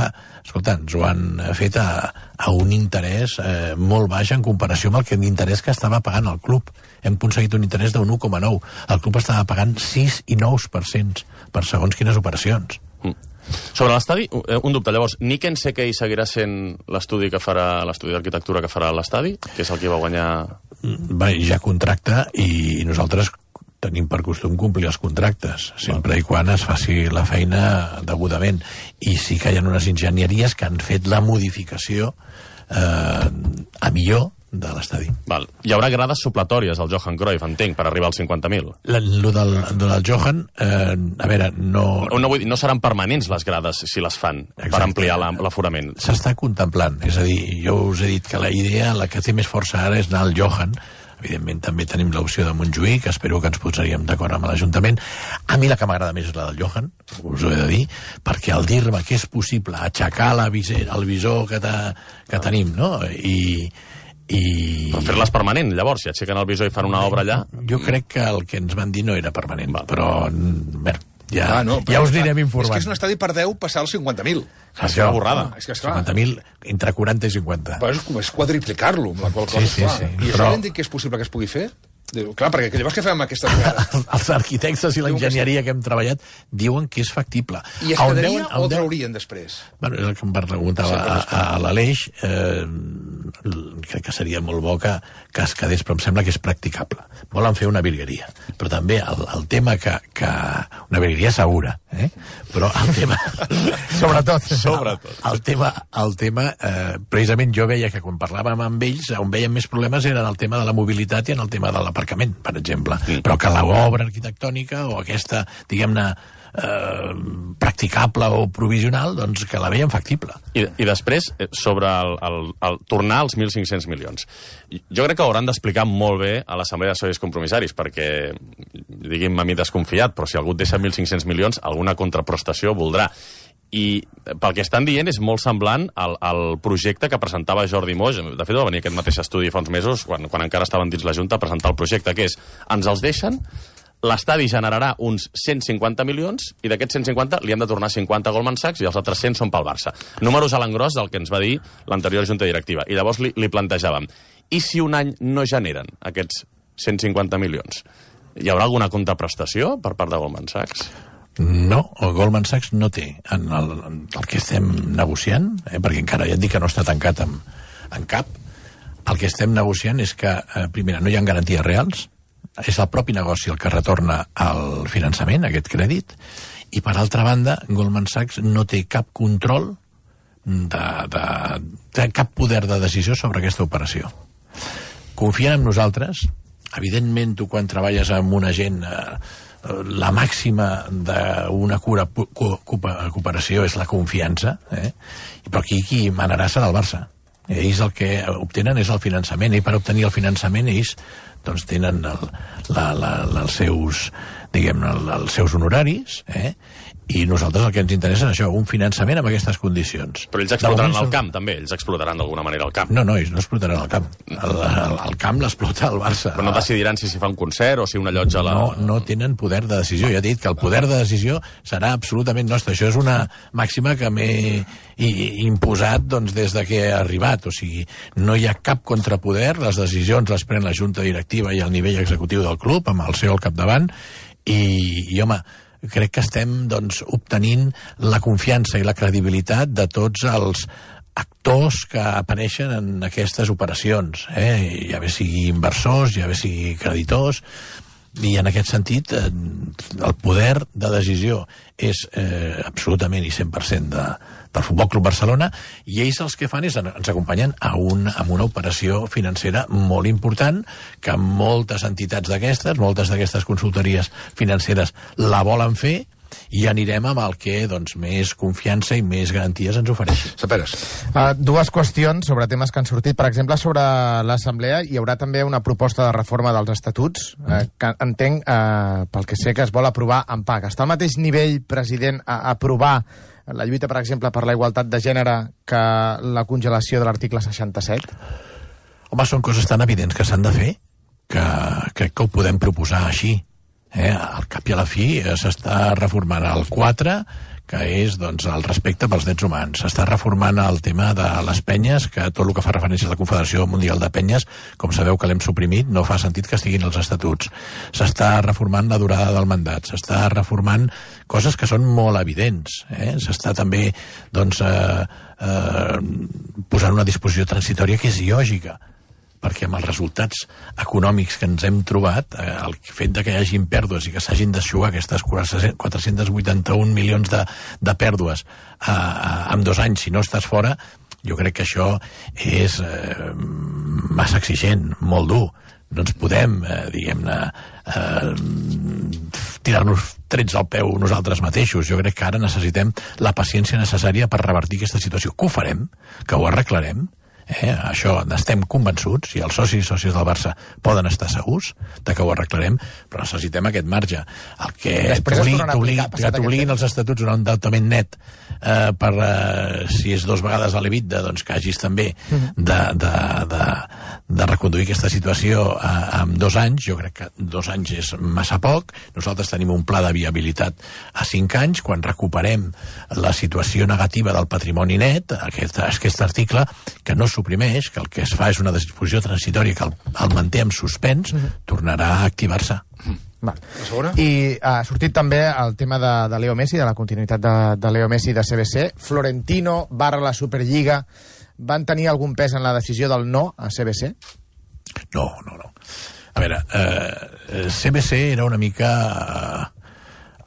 escolta, ens ho han fet a, a un interès eh, molt baix en comparació amb el que l'interès que estava pagant el club. Hem aconseguit un interès d'un un coma nou. El club estava pagant sis i nou per cent per segons quines operacions. Mm. Sobre l'estadi, un dubte. Llavors, Niken Sekei seguirà sent l'estudi que farà l'estudi d'arquitectura que farà l'estadi, que és el que va guanyar... Va, ja contracta, i nosaltres tenim per costum complir els contractes, sempre i quan es faci la feina degudament. I sí que hi ha unes enginyeries que han fet la modificació eh, a millor de l'estadi. Val. Hi haurà grades supletòries al Johan Cruyff, entenc, per arribar als cinquanta mil. Lo del, del Johan, eh, a veure, no... No, no, vull dir, no seran permanents les grades si les fan. Exacte. Per ampliar l'aforament. S'està contemplant, és a dir, jo us he dit que la idea, la que té més força ara és anar al Johan. Evidentment també tenim l'opció de Montjuïc, espero que ens posaríem d'acord amb l'Ajuntament. A mi la que m'agrada més és la del Johan, us ho he de dir, perquè al dir-me que és possible aixecar la viser, el visor que, ta, que ah. tenim, no? I... I... Però fer-les permanent, llavors, si aixequen el visor i fan una obra allà... Jo crec que el que ens van dir no era permanent, Val. però... Bé, ja, ah, no, ja us anirem informant. És que és un estadi per deu passar als cinquanta mil. És una borrada. Ah, és que, cinquanta mil entre quaranta i cinquanta. Però és, és quadriplicar-lo, amb la qual cosa, sí, sí, sí. I això però... hem dit que és possible que es pugui fer? Clar, perquè llavors què fem amb aquestes vegades? Els arquitectes i l'enginyeria que hem treballat diuen que és factible. I es quedaria o traurien després? Bueno, és el que em preguntava a, a, a l'Aleix. Eh, crec que seria molt bo que, que es quedés, però em sembla que és practicable. Volen fer una virgueria. Però també el, el tema que, que... Una virgueria segura, eh? Però el tema... Sobretot. Sobretot. El, el tema... El tema eh, precisament jo veia que quan parlàvem amb ells, on veiem més problemes era en el tema de la mobilitat i en el tema de l'aparcament, per exemple. Sí. Però que l'obra arquitectònica o aquesta, diguem-ne, eh, practicable o provisional, doncs que la veiem factible. I, i després, sobre el, el, el tornar als mil cinc-cents milions. Jo crec que hauran d'explicar molt bé a l'Assemblea de Socis Compromissaris, perquè, digui'm a mi desconfiat, però si algú et deixa mil cinc-cents milions, alguna contraprestació voldrà. I pel que estan dient és molt semblant al, al projecte que presentava Jordi Moix. De fet, va venir aquest mateix estudi fa uns mesos, quan, quan encara estaven dins la Junta, a presentar el projecte, que és, ens els deixen, l'estadi generarà uns cent cinquanta milions, i d'aquests cent cinquanta li han de tornar cinquanta a Goldman Sachs i els altres cent són pel Barça. Números a l'engròs del que ens va dir l'anterior Junta Directiva. I llavors li, li plantejàvem, i si un any no generen aquests cent cinquanta milions? Hi haurà alguna contraprestació per part de Goldman Sachs? No, el Goldman Sachs no té en el, en el que estem negociant, eh, perquè encara ja et dic que no està tancat en, en cap. El que estem negociant és que, eh, primera, no hi ha garanties reals, és el propi negoci el que retorna el finançament, aquest crèdit, i per altra banda, Goldman Sachs no té cap control, de, de, de cap poder de decisió sobre aquesta operació. Confien en nosaltres. Evidentment, tu quan treballes amb una gent... Eh, la màxima d'una cura cooperació és la confiança, eh? Però aquí qui manarà serà el Barça. Ells el que obtenen és el finançament, i per obtenir el finançament ells doncs tenen el, la, la, la, els seus, diguem, el, els seus honoraris, eh? I nosaltres el que ens interessa és això, un finançament amb aquestes condicions. Però ells explotaran el camp, també? Ells explotaran d'alguna manera el camp? No, no, ells no explotaran el camp. El, el, el camp l'explota el Barça. Però no decidiran si s'hi fa un concert o si una llotja... La... No, no tenen poder de decisió. Ja he dit que el poder de decisió serà absolutament nostre. Això és una màxima que m'he imposat doncs, des de que he arribat. O sigui, no hi ha cap contrapoder, les decisions les pren la Junta Directiva i el nivell executiu del club, amb el C E O al capdavant, i, i home, crec que estem doncs, obtenint la confiança i la credibilitat de tots els actors que apareixen en aquestes operacions, eh? Ja bé sigui inversors, ja bé sigui creditors, i en aquest sentit eh, el poder de decisió és eh, absolutament i cent per cent de, del Futbol Club Barcelona, i ells els que fan és ens acompanyen a, un, a una operació financera molt important, que moltes entitats d'aquestes, moltes d'aquestes consultories financeres la volen fer, i anirem amb el que doncs, més confiança i més garanties ens ofereixi. Saperes. Uh, dues qüestions sobre temes que han sortit. Per exemple, sobre l'Assemblea hi haurà també una proposta de reforma dels estatuts, mm. uh, que entenc, uh, pel que sé, que es vol aprovar en P A C. Està al mateix nivell, president, a aprovar la lluita, per exemple, per la igualtat de gènere que la congelació de l'article seixanta-set? Home, són coses tan evidents que s'han de fer que crec que ho podem proposar així. Eh, al cap i a la fi s'està reformant el quatre, que és doncs, el respecte pels drets humans. S'està reformant el tema de les penyes, que tot el que fa referència a la Confederació Mundial de Penyes, com sabeu que l'hem suprimit, no fa sentit que estiguin els estatuts. S'està reformant la durada del mandat, s'està reformant coses que són molt evidents. Eh? S'està també doncs, eh, eh, posant una disposició transitòria que és lògica, perquè amb els resultats econòmics que ens hem trobat, eh, el fet de que hi hagin pèrdues i que s'hagin d'eixugar aquestes quatre-cents vuitanta-un milions de, de pèrdues eh, en dos anys si no estàs fora, jo crec que això és eh, massa exigent, molt dur. No ens podem, eh, diguem-ne, eh, tirar-nos trets al peu nosaltres mateixos. Jo crec que ara necessitem la paciència necessària per revertir aquesta situació. Que ho farem, que ho arreglarem, eh? Això n'estem convençuts, i els socis i sòcies del Barça poden estar segurs de que ho arreglarem, però necessitem aquest marge. El que t'obliguin els estatuts un endeutament net eh, per, eh, si és dos vegades a l'EBITDA, doncs que hagis també de, de, de, de reconduir aquesta situació eh, en dos anys. Jo crec que dos anys és massa poc. Nosaltres tenim un pla de viabilitat a cinc anys. Quan recuperem la situació negativa del patrimoni net, aquest, aquest article, que no suprimeix, que el que es fa és una disposició transitòria que el, el manté en suspens, uh -huh. tornarà a activar-se. Val. I ha sortit també el tema de, de Leo Messi, de la continuïtat de, de Leo Messi de C B C. Florentino barra la Superliga van tenir algun pes en la decisió del no a C B C? No, no, no. A veure, eh, C B C era una mica...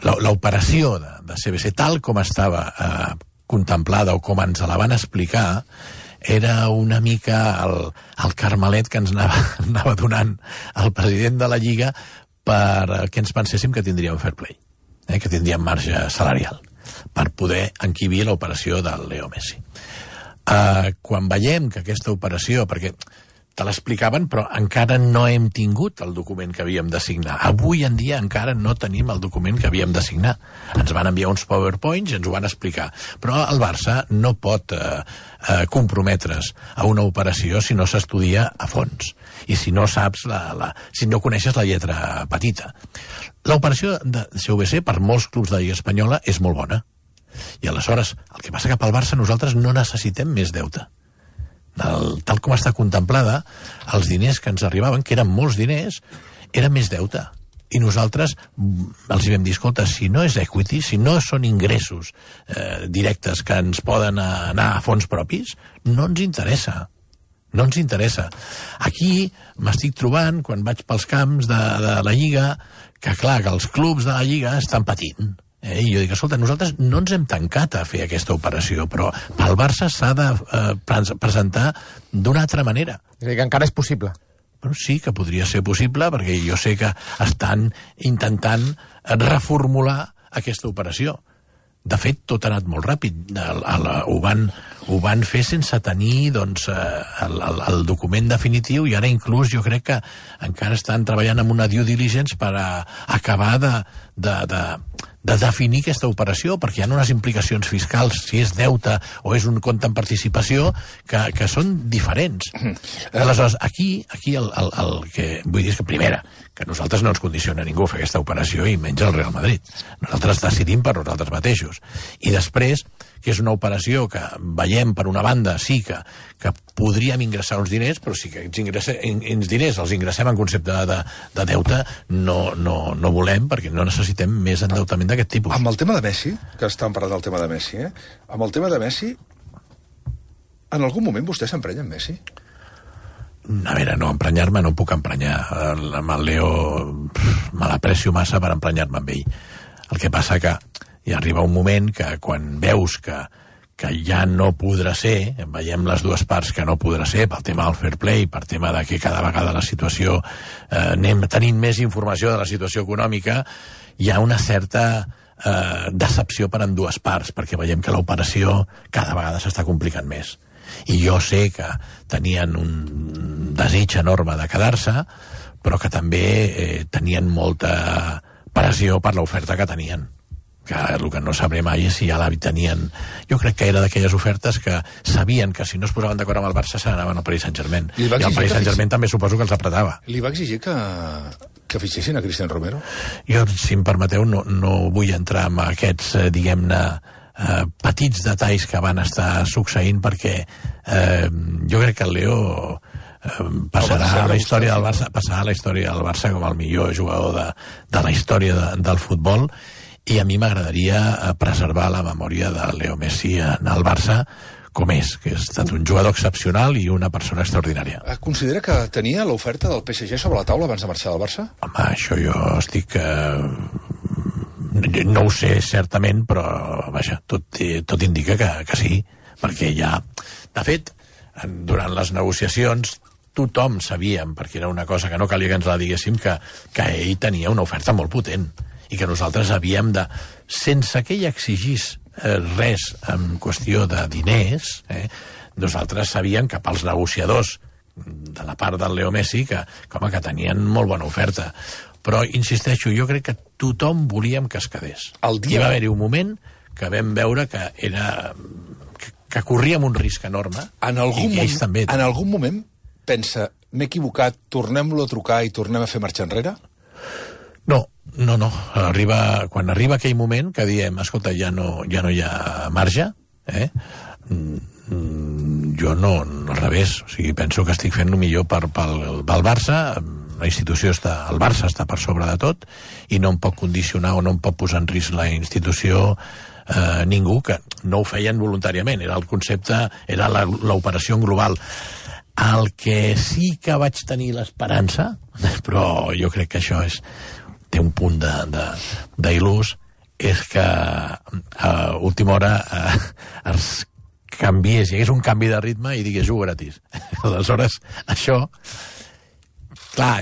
Eh, l'operació de, de C B C, tal com estava eh, contemplada o com ens la van explicar, era una mica el, el carmelet que ens anava, anava donant el president de la Lliga per que ens penséssim que tindríem fair play, eh, que tindríem marge salarial per poder enquibir l'operació del Leo Messi. Uh, quan veiem que aquesta operació, perquè te l'explicaven, però encara no hem tingut el document que havíem de signar. Avui en dia encara no tenim el document que havíem de signar. Ens van enviar uns PowerPoints i ens ho van explicar. Però el Barça no pot eh, eh, comprometre's a una operació si no s'estudia a fons i si no saps la, la, si no coneixes la lletra petita. L'operació de C V C per molts clubs de Lliga Espanyola és molt bona. I aleshores, el que passa que pel Barça nosaltres no necessitem més deute. El, tal com està contemplada, els diners que ens arribaven, que eren molts diners, eren més deute. I nosaltres els vam dir, escolta, si no és equity, si no són ingressos eh, directes que ens poden anar a fons propis, no ens interessa. No ens interessa. Aquí m'estic trobant, quan vaig pels camps de, de la Lliga, que clar, que els clubs de la Lliga estan patint. Eh, I jo dic, escolta, nosaltres no ens hem tancat a fer aquesta operació, però pel Barça s'ha de eh, presentar d'una altra manera. És a dir, que encara és possible. Però sí que podria ser possible, perquè jo sé que estan intentant reformular aquesta operació. De fet, tot ha anat molt ràpid. El, el, ho, van, ho van fer sense tenir doncs, el, el, el document definitiu, i ara inclús jo crec que encara estan treballant amb una due diligence per a acabar de, de, de, de definir aquesta operació, perquè hi ha unes implicacions fiscals, si és deute o és un compte en participació, que, que són diferents. Aleshores, aquí, aquí el, el, el que vull dir és que, primera, que nosaltres no ens condiciona ningú a fer aquesta operació, i menys el Real Madrid. Nosaltres decidim per nosaltres mateixos. I després, que és una operació que veiem per una banda, sí que, que podríem ingressar uns diners, però sí que els diners els ingressem en concepte de, de deute, no, no, no volem, perquè no necessitem més endeutament d'aquest tipus. Amb el tema de Messi, que estan parlant del tema de Messi, eh? Amb el tema de Messi, en algun moment vostè s'emprenya amb Messi? A veure, no, emprenyar-me no em puc emprenyar. Amb el Leo me l'aprecio massa per emprenyar-me amb ell. El que passa que hi arriba un moment que quan veus que, que ja no podrà ser, veiem les dues parts que no podrà ser, pel tema del fair play, per tema de que cada vegada la situació, eh, anem tenint més informació de la situació econòmica, hi ha una certa eh, decepció per en dues parts, perquè veiem que l'operació cada vegada s'està complicant més. I jo sé que tenien un desig enorme de quedar-se, però que també eh, tenien molta pressió per l'oferta que tenien. Que el que no sabré mai és si ja la tenien. Jo crec que era d'aquelles ofertes que sabien que si no es posaven d'acord amb el Barça se n'anaven al Paris Saint-Germain. I el Paris Saint-Germain també suposo que els apretava. Li va exigir que, que fitxessin a Cristian Romero? Jo, si em permeteu, no, no vull entrar en aquests, eh, diguem-ne, eh, petits detalls que van estar succeint, perquè eh, jo crec que el Leo eh, passarà a la història del Barça, passarà a la història del Barça com el millor jugador de, de la història de, del futbol, i a mi m'agradaria preservar la memòria de Leo Messi en el Barça com és, que ha estat un jugador excepcional i una persona extraordinària. Considera que tenia l'oferta del P S G sobre la taula abans de marxar del Barça? Home, això jo estic... Eh, no ho sé certament, però vaja, tot, tot indica que, que sí, perquè ja... De fet, durant les negociacions tothom sabíem, perquè era una cosa que no calia que ens la diguéssim, que, que ell tenia una oferta molt potent i que nosaltres havíem de... Sense que ell exigís eh, res en qüestió de diners, eh, nosaltres sabíem que pels negociadors de la part del Leo Messi que, com que tenien molt bona oferta. Però, insisteixo, jo crec que tothom volíem que es quedés. El dia... I va haver-hi un moment que vam veure que era... que, que corríem un risc enorme, en algun i ells moment, també. En algun moment pensa, m'he equivocat, tornem-lo a trucar i tornem a fer marxa enrere? No, no, no. Arriba, quan arriba aquell moment que diem, escolta, ja no, ja no hi ha marge, eh? jo no, no, al revés. O sigui, penso que estic fent el millor per, pel, pel Barça. La institució està, el Barça està per sobre de tot i no em pot condicionar o no em pot posar en risc la institució eh, ningú, que no ho feien voluntàriament. Era el concepte, era l'operació global. El que sí que vaig tenir l'esperança, però jo crec que això és... té un punt d'il·lús, és que a última hora eh, es canviés, hi hagués un canvi de ritme i digués jugo gratis. Aleshores, això, clar,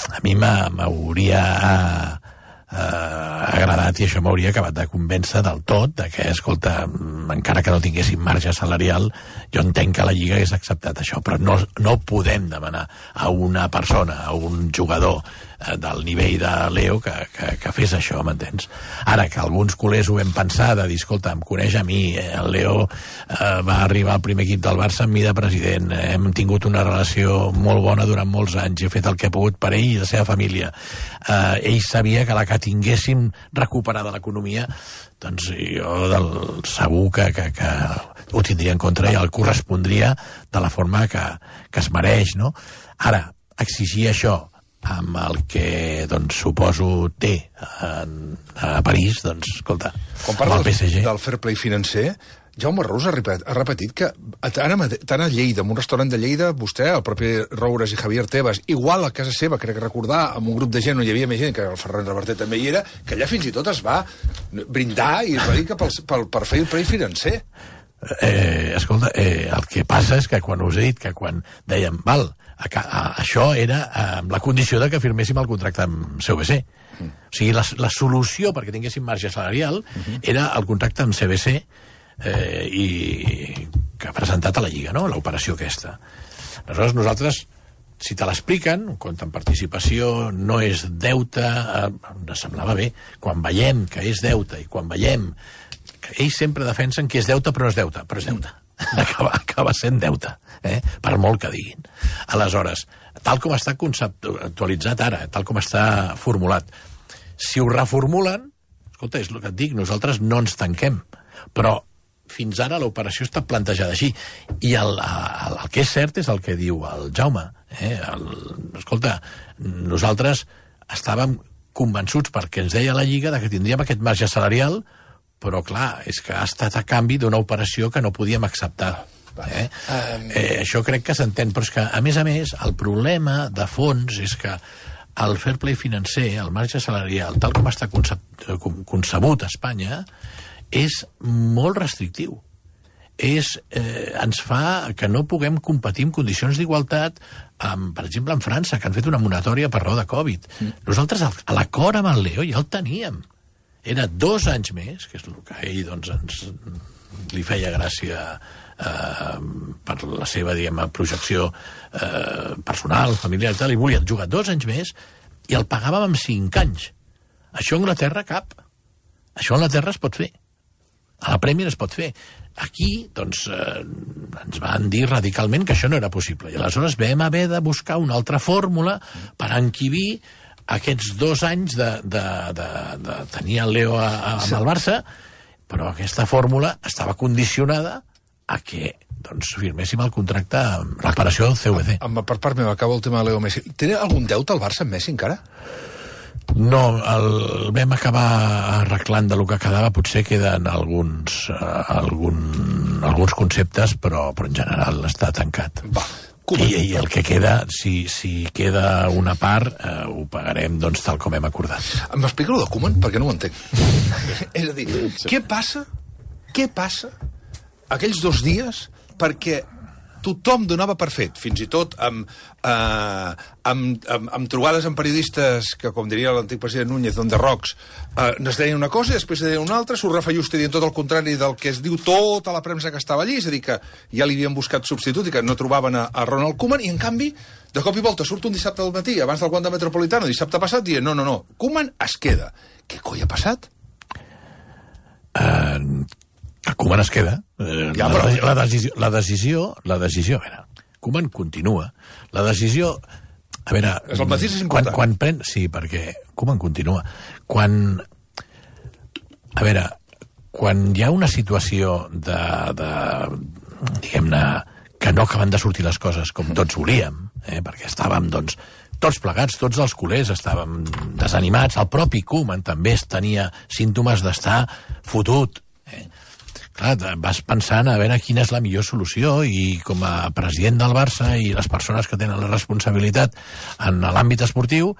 a mi m'hauria eh, agradat i això m'hauria acabat de convèncer del tot de que, escolta, encara que no tinguéssim marge salarial, jo entenc que la Lliga hagués acceptat això, però no, no podem demanar a una persona, a un jugador eh, del nivell de Leo que, que, que fes això, m'entens? Ara, que alguns culers ho vam pensar, de dir, escolta, em coneix a mi, eh, el Leo eh, va arribar al primer equip del Barça amb mi de president, eh, hem tingut una relació molt bona durant molts anys, he fet el que he pogut per ell i la seva família. Eh, ell sabia que la que tinguéssim recuperada l'economia, doncs jo del, segur que, que, que ho tindria en contra i el correspondria de la forma que, que es mereix, no? Ara, exigir això amb el que, doncs, suposo té en, a París, doncs, escolta, quan parla amb el P S G... del fair play financer, Jaume Rous ha repetit, ha repetit que tant a, tant a Lleida, en un restaurant de Lleida, vostè, el propi Roures i Javier Tebas, igual a casa seva, crec recordar, amb un grup de gent on hi havia més gent, que el Ferran Reverter també hi era, que allà fins i tot es va brindar i es va dir que pel, pel, per fer el play financer. Eh, escolta, eh, el que passa és que quan us he dit que quan dèiem, val, a, a, això era amb la condició de que firméssim el contracte amb C V C. Mm. O sigui, la, la solució perquè tinguéssim marge salarial mm-hmm. era el contracte amb C V C eh, i que ha presentat a la Lliga, no?, l'operació aquesta. Aleshores, nosaltres, si te l'expliquen, un compte en participació no és deute, eh, ens semblava bé. Quan veiem que és deute i quan veiem que ells sempre defensen que és deute però no és deute, però és deute. Acaba, acaba sent deute, eh? Per molt que diguin. Aleshores, tal com està conceptualitzat ara, tal com està formulat, si ho reformulen, escolta, és el que et dic, nosaltres no ens tanquem, però fins ara l'operació està plantejada així. I el, el, el que és cert és el que diu el Jaume. Eh? El, escolta, nosaltres estàvem convençuts, perquè ens deia la Lliga, de que tindríem aquest marge salarial, però clar, és que ha estat a canvi d'una operació que no podíem acceptar. Eh? Eh, això crec que s'entén, però és que, a més a més, el problema de fons és que el fair play financer, el marge salarial, tal com està concebut a Espanya, és molt restrictiu. És, eh, ens fa que no puguem competir en condicions d'igualtat amb, per exemple, en França, que han fet una moratòria per raó de Covid. Mm. Nosaltres a l'acord amb el Leo ja el teníem. Era dos anys més, que és el que a ell doncs, ens, li feia gràcia eh, per la seva, diguem, projecció eh, personal, familiar i tal, i volia jugar dos anys més i el pagàvem amb cinc anys. Això a Anglaterra cap. Això a Anglaterra es pot fer. A la Premier es pot fer. Aquí, doncs, eh, ens van dir radicalment que això no era possible. I aleshores vam haver de buscar una altra fórmula per encabir aquests dos anys de, de, de, de tenir el Leo a, a, amb el Barça, però aquesta fórmula estava condicionada a que doncs, firméssim el contracte amb l'operació del C V C. Amb, per part meva, acabo el tema de Leo Messi. Té algun deute al Barça amb Messi encara? No, el vam acabar arreglant de lo que quedava, potser queden alguns, uh, algun, alguns conceptes, però, però en general està tancat. Va. I, I el que queda, si, si queda una part, eh, ho pagarem doncs, tal com hem acordat. M'explica allò de Koeman? Perquè no ho entenc. És a dir, què passa, què passa aquells dos dies perquè tothom donava per fet, fins i tot amb, eh, amb, amb, amb trobades amb periodistes que, com diria l'antic president Núñez, on de rocs, eh, es deien una cosa i després es deien una altra, s'ho refallusta dient tot el contrari del que es diu tota la premsa que estava allí, és a dir, que ja li havien buscat substitut i que no trobaven a, a Ronald Koeman, i en canvi, de cop i volta, surt un dissabte al matí, abans del Wanda Metropolitano, dissabte passat, dient, no, no, no, Koeman es queda. Què coi ha passat? Uh, que Koeman es queda. Uh, ja, però... la, la, decisió, la decisió, la decisió, a veure, Koeman continua. La decisió, a veure... És el mateix és important. Quan, quan pren... Sí, perquè Koeman continua. Quan... A veure, quan hi ha una situació de... de diguem-ne, que no acaben de sortir les coses com tots volíem, eh, perquè estàvem, doncs, tots plegats, tots els culers estàvem desanimats, el propi Koeman també tenia símptomes d'estar fotut. Eh? Clar, vas pensant a veure quina és la millor solució, i com a president del Barça i les persones que tenen la responsabilitat en l'àmbit esportiu,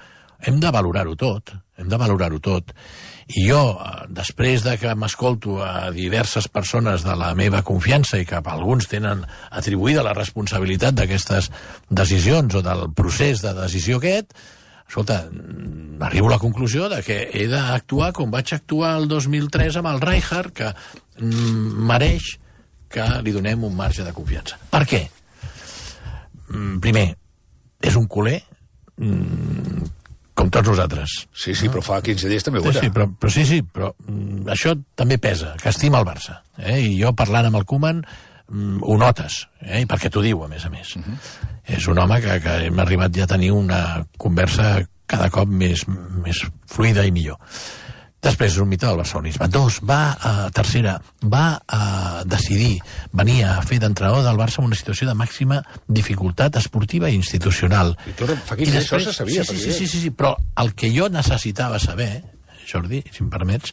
hem de valorar-ho tot, hem de valorar-ho tot. I jo, després de que m'escolto a diverses persones de la meva confiança i que alguns tenen atribuïda la responsabilitat d'aquestes decisions o del procés de decisió aquest, escolta, arribo a la conclusió de que he d'actuar com vaig actuar el dos mil tres amb el Rijkaard, que mm, mereix que li donem un marge de confiança. Per què? Mm, primer, és un culer mm, com tots nosaltres. Sí, sí, però fa quinze dies també ho era. Sí, sí, però, però, sí, sí, però mm, això també pesa, que estima el Barça. Eh? I jo, parlant amb el Koeman, mm, ho notes, eh? perquè t'ho diu, a més a més. Uh -huh. És un home que, que hem arribat ja a tenir una conversa cada cop més, més fluida i millor. Després és un mite del barcelonisme. Dos, va a tercera, va a decidir venir a fer d'entrenador del Barça en una situació de màxima dificultat esportiva i institucional. I tot fa quinze dies això se sabia. Sí, sí, sí, sí, sí, però el que jo necessitava saber, Jordi, si em permets,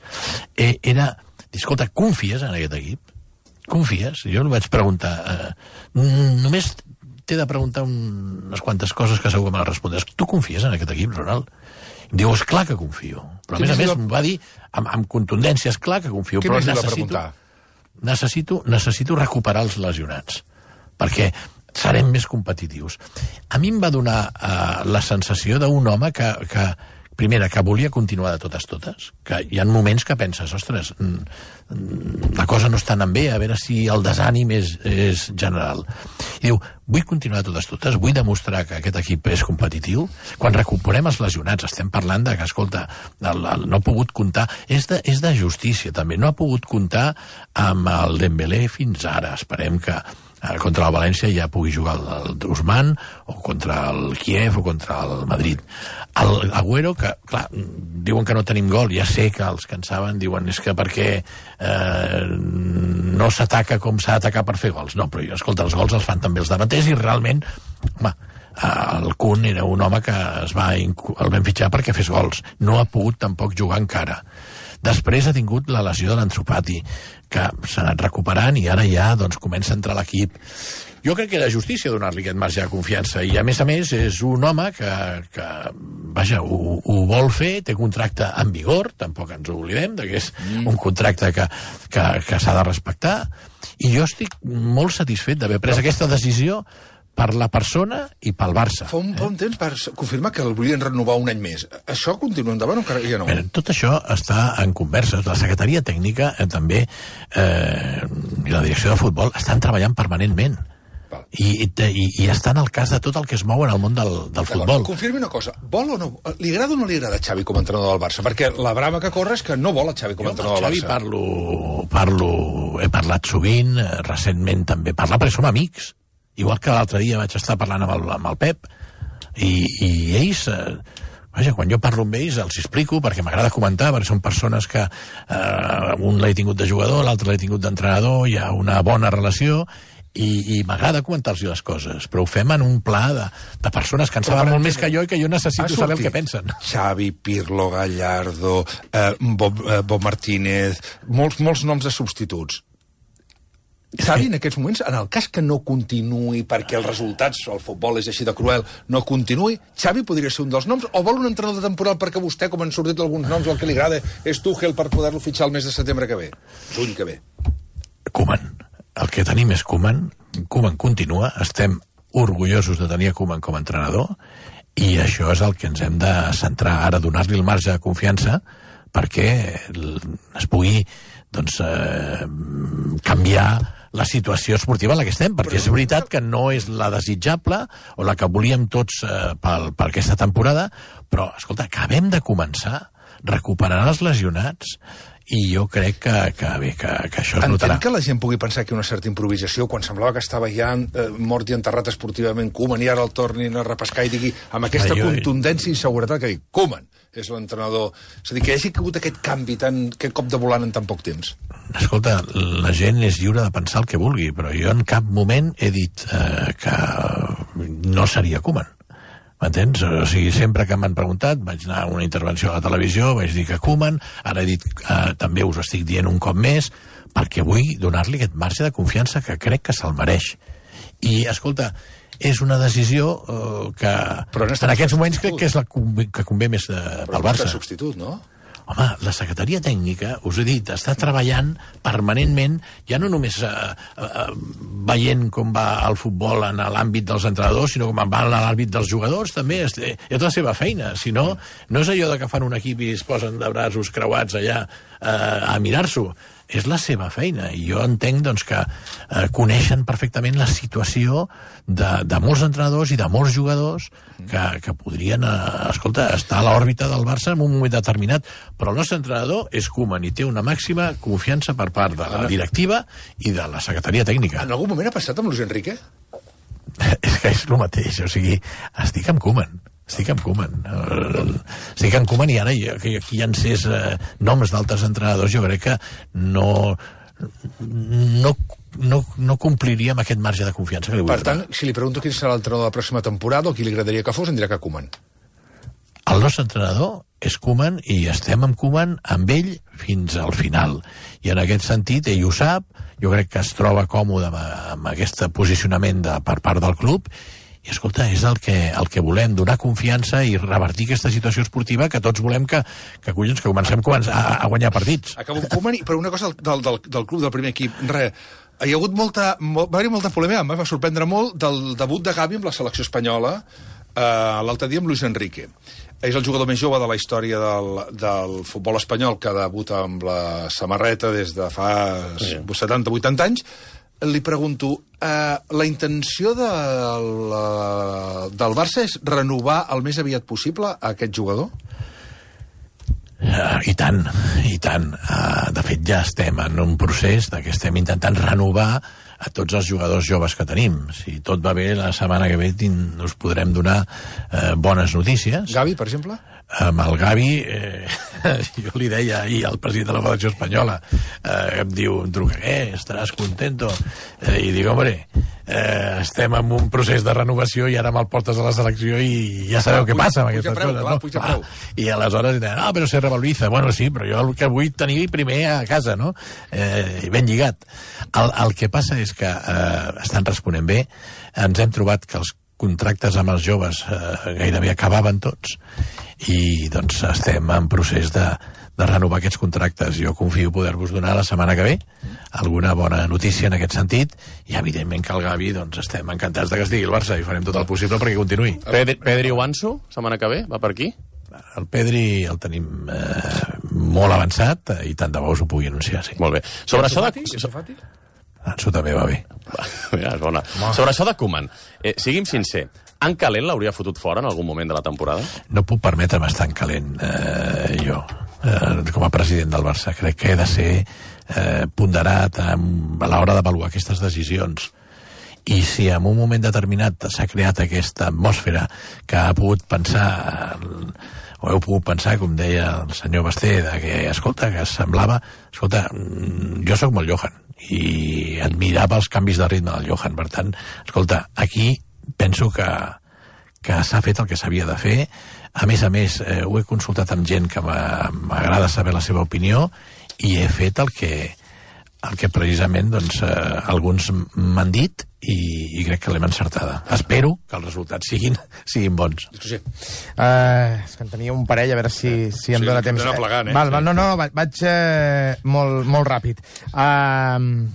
eh, era, escolta, confies en aquest equip? Confies? Jo li vaig preguntar, eh, només t'he de preguntar un, unes quantes coses que segur que me les respondràs. Tu confies en aquest equip, Ronald? Em diu, és clar que confio. Però a més a més em va dir, amb, amb contundència, és clar que confio, però necessito, necessito, necessito recuperar els lesionats, perquè serem més competitius. A mi em va donar uh, la sensació d'un home que, que, primera, que volia continuar de totes totes, que hi ha moments que penses, ostres, la cosa no està anant bé, a veure si el desànim és, és general. I diu, vull continuar de totes totes, vull demostrar que aquest equip és competitiu. Quan recuperem els lesionats, estem parlant de que, escolta, el, el, no ha pogut comptar, és de, és de justícia també, no ha pogut comptar amb el Dembélé fins ara. Esperem que contra el València ja pugui jugar el, el Ousmane, o contra el Kiev, o contra el Madrid. El Agüero, que, clar, diuen que no tenim gol, ja sé que els que en saben diuen és que perquè eh, no s'ataca com s'ha d'atacar per fer gols. No, però, escolta, els gols els fan també els davanters, i realment, home, el Kun era un home que es va, el vam fitxar perquè fes gols. No ha pogut tampoc jugar encara. Després ha tingut la lesió de l'Ansu Fati, que s'ha anat recuperant i ara ja doncs, comença a entrar a l'equip. Jo crec que era justícia donar-li aquest marge de confiança, i a més a més és un home que, que vaja, ho, ho vol fer, té contracte en vigor, tampoc ens oblidem de que és mm. un contracte que, que, que s'ha de respectar, i jo estic molt satisfet d'haver pres aquesta decisió per la persona i pel Barça. Fa un, eh? un temps per confirmar que el volien renovar un any més. Això continua endavant o encara ja no? Bé, tot això està en converses. La secretaria tècnica eh, també eh, i la direcció de futbol estan treballant permanentment. I, i, i estan al cas de tot el que es mou en el món del, del futbol. Confirmi una cosa, vol o no, li agrada o no li agrada Xavi com a entrenador del Barça? Perquè la brama que corre és que no vol a Xavi com a entrenador del Barça. Jo amb Xavi parlo, parlo, he parlat sovint, recentment també parlar, perquè som amics. Igual que l'altre dia vaig estar parlant amb el, amb el Pep, i, i ells, eh, vaja, quan jo parlo amb ells els explico, perquè m'agrada comentar, perquè són persones que eh, un l'he tingut de jugador, l'altre l'he tingut d'entrenador, hi ha una bona relació, i, i m'agrada comentar-los les coses, però ho fem en un pla de, de persones que en saben molt més que jo i que jo necessito saber el que pensen. Xavi, Pirlo, Gallardo, eh, Bob, eh, Bob Martínez, molts, molts noms de substituts. Xavi, en aquests moments, en el cas que no continuï perquè els resultats, el futbol és així de cruel, no continuï, Xavi podria ser un dels noms, o vol un entrenador de temporal perquè vostè, com han sortit alguns noms, el que li agrada és Tuchel per poder-lo fitxar el mes de setembre que ve, juny que ve. Koeman. El que tenim és Koeman. Koeman continua, estem orgullosos de tenir a Koeman com a entrenador, i això és el que ens hem de centrar ara, donar-li el marge de confiança perquè es pugui doncs, eh, canviar la situació esportiva en la que estem, perquè és veritat que no és la desitjable o la que volíem tots eh, per, per aquesta temporada, però, escolta, acabem de començar, recuperaran els lesionats, i jo crec que, que, bé, que, que això es notarà. Entenc que la gent pugui pensar que una certa improvisació, quan semblava que estava ja eh, mort i enterrat esportivament Koeman, i ara el tornin a repescar i digui, amb aquesta ah, jo... contundència i seguretat, que digui, Koeman és l'entrenador. És a dir, que hi hagi hagut aquest canvi, tan, aquest cop de volant en tan poc temps. Escolta, la gent és lliure de pensar el que vulgui, però jo en cap moment he dit eh, que no seria Koeman. M'entens? O sigui, sempre que m'han preguntat, vaig anar a una intervenció a la televisió, vaig dir que Koeman, ara he dit, eh, també us estic dient un cop més, perquè vull donar-li aquest marge de confiança que crec que se'l mereix. I, escolta, és una decisió eh, que en, en aquests moments crec que és la que convé més de, pel Barça. Però substitut, no? Home, la secretaria tècnica, us he dit, està treballant permanentment, ja no només eh, eh, veient com va el futbol en l'àmbit dels entrenadors, sinó com va en l'àmbit dels jugadors, també és, és la seva feina. Si no, no és allò de que fan un equip i es posen de braços creuats allà eh, a mirar-s'ho. És la seva feina, i jo entenc doncs, que eh, coneixen perfectament la situació de, de molts entrenadors i de molts jugadors que, que podrien eh, escolta, estar a l'òrbita del Barça en un moment determinat, però el nostre entrenador és Koeman i té una màxima confiança per part de la directiva i de la secretaria tècnica. En algun moment ha passat amb Luis Enrique? És que és el mateix, o sigui, estic amb Koeman. Estic amb Koeman. Estic amb Koeman i ara que aquí hi ha encès eh, noms d'altres entrenadors, jo crec que no, no, no, no compliria amb aquest marge de confiança que li vull Per tant, donar. Si li pregunto quin serà l'entrenador de la pròxima temporada o qui li agradaria que fos, em dirà que Koeman. El nostre entrenador és Koeman i estem amb Koeman amb ell fins al final. I en aquest sentit, ell ho sap, jo crec que es troba còmode amb, amb aquest posicionament de, per part del club. I, escolta, és el que, el que volem, donar confiança i revertir aquesta situació esportiva que tots volem que, que, collons, que comencem a, a guanyar partits. Acabo amb Koeman, però una cosa del, del, del club, del primer equip. Re, hi ha hagut molta, molt, va haver molta polèmica, em va sorprendre molt, del debut de Gavi amb la selecció espanyola eh, l'altre dia amb Luis Enrique. És el jugador més jove de la història del, del futbol espanyol que debuta amb la samarreta des de fa sí. setanta vuitanta anys. Li pregunto, eh, la intenció de la, del Barça és renovar el més aviat possible a aquest jugador? Uh, I tant, i tant. Uh, de fet, ja estem en un procés de que estem intentant renovar a tots els jugadors joves que tenim. Si tot va bé, la setmana que ve us podrem donar uh, bones notícies. Gavi, per exemple? Amb el Gavi, eh, jo li deia ahir al president de la Federació Espanyola, eh, em diu, em truca, eh, estaràs contento? Eh, I dic, home, eh, estem en un procés de renovació i ara me'l portes a la selecció i ja sabeu ah, què puja, passa amb aquestes preu, coses. Clar, no? Puja preu. Ah, I aleshores diuen, no, però se revaloriza. Bueno, sí, però jo el que vull tenir primer a casa, no? Eh, ben lligat. El, el que passa és que eh, estan responent bé. Ens hem trobat que els contractes amb els joves eh, gairebé acabaven tots i doncs estem en procés de, de renovar aquests contractes. Jo confio poder-vos donar la setmana que ve alguna bona notícia en aquest sentit i evidentment que el Gavi doncs estem encantats de que estigui el Barça i farem tot el possible perquè continuï. Pedri, Pedri o Ansu, setmana que ve, va per aquí? El Pedri el tenim eh, molt avançat eh, i tant de bo us ho pugui anunciar, sí. Molt bé. Sobre això de... Ansu també va bé. Ja, és bona. Sobre això de Koeman, eh, sigui'm sincer, en calent l'hauria fotut fora en algun moment de la temporada? No puc permetre'm estar en calent, eh, jo, eh, com a president del Barça. Crec que he de ser eh, ponderat a, a l'hora d'avaluar aquestes decisions. I si en un moment determinat s'ha creat aquesta atmosfera que ha pogut pensar, o heu pogut pensar, com deia el senyor Basté, de que, escolta, que semblava... Escolta, jo sóc molt Johan, i admirava els canvis de ritme del Johan. Per tant, escolta, aquí penso que, que s'ha fet el que s'havia de fer. A més a més, eh, ho he consultat amb gent que m'agrada saber la seva opinió i he fet el que, el que precisament doncs, eh, alguns m'han dit i, i crec que l'hem encertada. Espero que els resultats siguin, siguin bons. Sí. Uh, és que en tenia un parell, a veure si, si em sí, dóna temps. Plegant, eh? Val, val, no, no, vaig eh, molt, molt ràpid. Uh,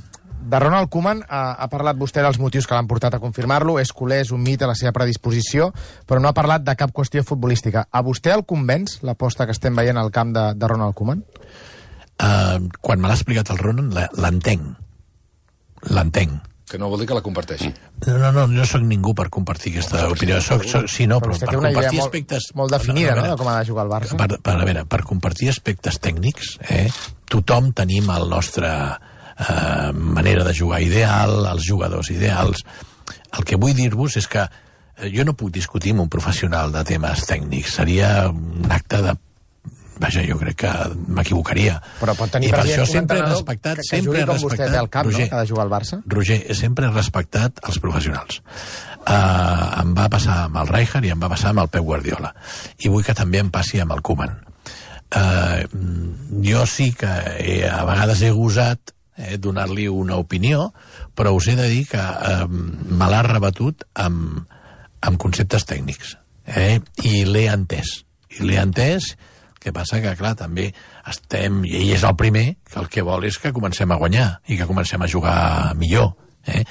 de Ronald Koeman ha, ha parlat vostè dels motius que l'han portat a confirmar-lo. És culer, és un mit a la seva predisposició, però no ha parlat de cap qüestió futbolística. A vostè el convenç l'aposta que estem veient al camp de, de Ronald Koeman? Uh, quan me l'ha explicat el Ronald, l'entenc. L'entenc. Que no vol dir que la comparteixi. No, no, no, no soc ningú per compartir aquesta no, opinió. Soc, soc, sí, no, però, però per compartir molt, aspectes... molt definida, no, no, no, de com ha de jugar el Barça. Per, per, a veure, per compartir aspectes tècnics, eh, tothom tenim el nostre eh, manera de jugar ideal, els jugadors ideals. El que vull dir-vos és que jo no puc discutir amb un professional de temes tècnics. Seria un acte de... Vaja, jo crec que m'equivocaria. Però pot tenir I per això un sempre he que, respectat... que sempre jugui he com respectat, vostè té al cap, Roger, no?, que ha de jugar al Barça. Roger, sempre he respectat els professionals. Uh, em va passar amb el Rijkaard i em va passar amb el Pep Guardiola. I vull que també em passi amb el Koeman. Uh, jo sí que he, a vegades he gosat eh, donar-li una opinió, però us he de dir que uh, me l'ha rebatut amb, amb conceptes tècnics. Eh? I l'he entès. I l'he entès... El que passa que, clar, també estem... I ell és el primer que el que vol és que comencem a guanyar i que comencem a jugar millor. Eh?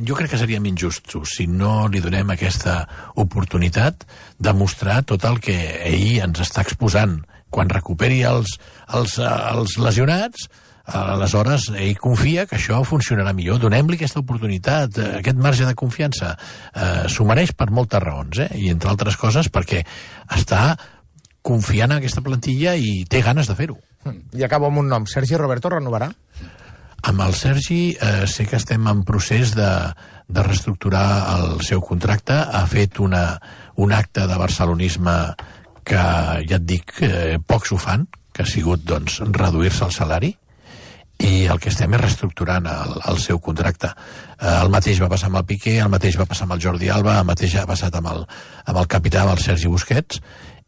Jo crec que seríem injustos si no li donem aquesta oportunitat de mostrar tot el que ell ens està exposant. Quan recuperi els, els, els lesionats, aleshores ell confia que això funcionarà millor. Donem-li aquesta oportunitat, aquest marge de confiança. Eh, s'ho mereix per moltes raons, eh? I entre altres coses perquè està confiant en aquesta plantilla i té ganes de fer-ho. I acabo amb un nom. Sergi Roberto renovarà? Amb el Sergi eh, sé que estem en procés de, de reestructurar el seu contracte. Ha fet una, un acte de barcelonisme que, ja et dic, eh, pocs ho fan, que ha sigut doncs, reduir-se el salari, i el que estem és reestructurant el, el seu contracte. Eh, el mateix va passar amb el Piqué, el mateix va passar amb el Jordi Alba, el mateix ha passat amb el, amb el capità, amb el Sergi Busquets,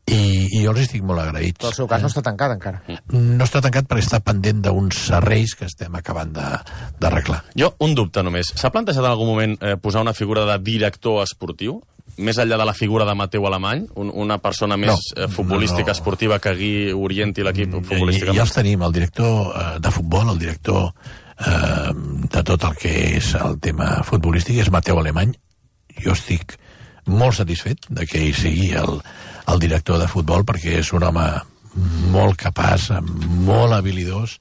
i, i jo els estic molt agraïts. Però el seu cas no està tancat encara. No està tancat perquè està pendent d'uns serreis que estem acabant d'arreglar. Jo, un dubte només. S'ha plantejat en algun moment eh, posar una figura de director esportiu? Més enllà de la figura de Mateu Alemany? Un, una persona més no, eh, futbolística, no, no. esportiva, que gui, orienti l'equip futbolístic? Ja, ja els tenim, el director eh, de futbol, el director eh, de tot el que és el tema futbolístic, és Mateu Alemany. Jo estic molt satisfet de que ell sigui el, el director de futbol, perquè és un home molt capaç, molt habilidós,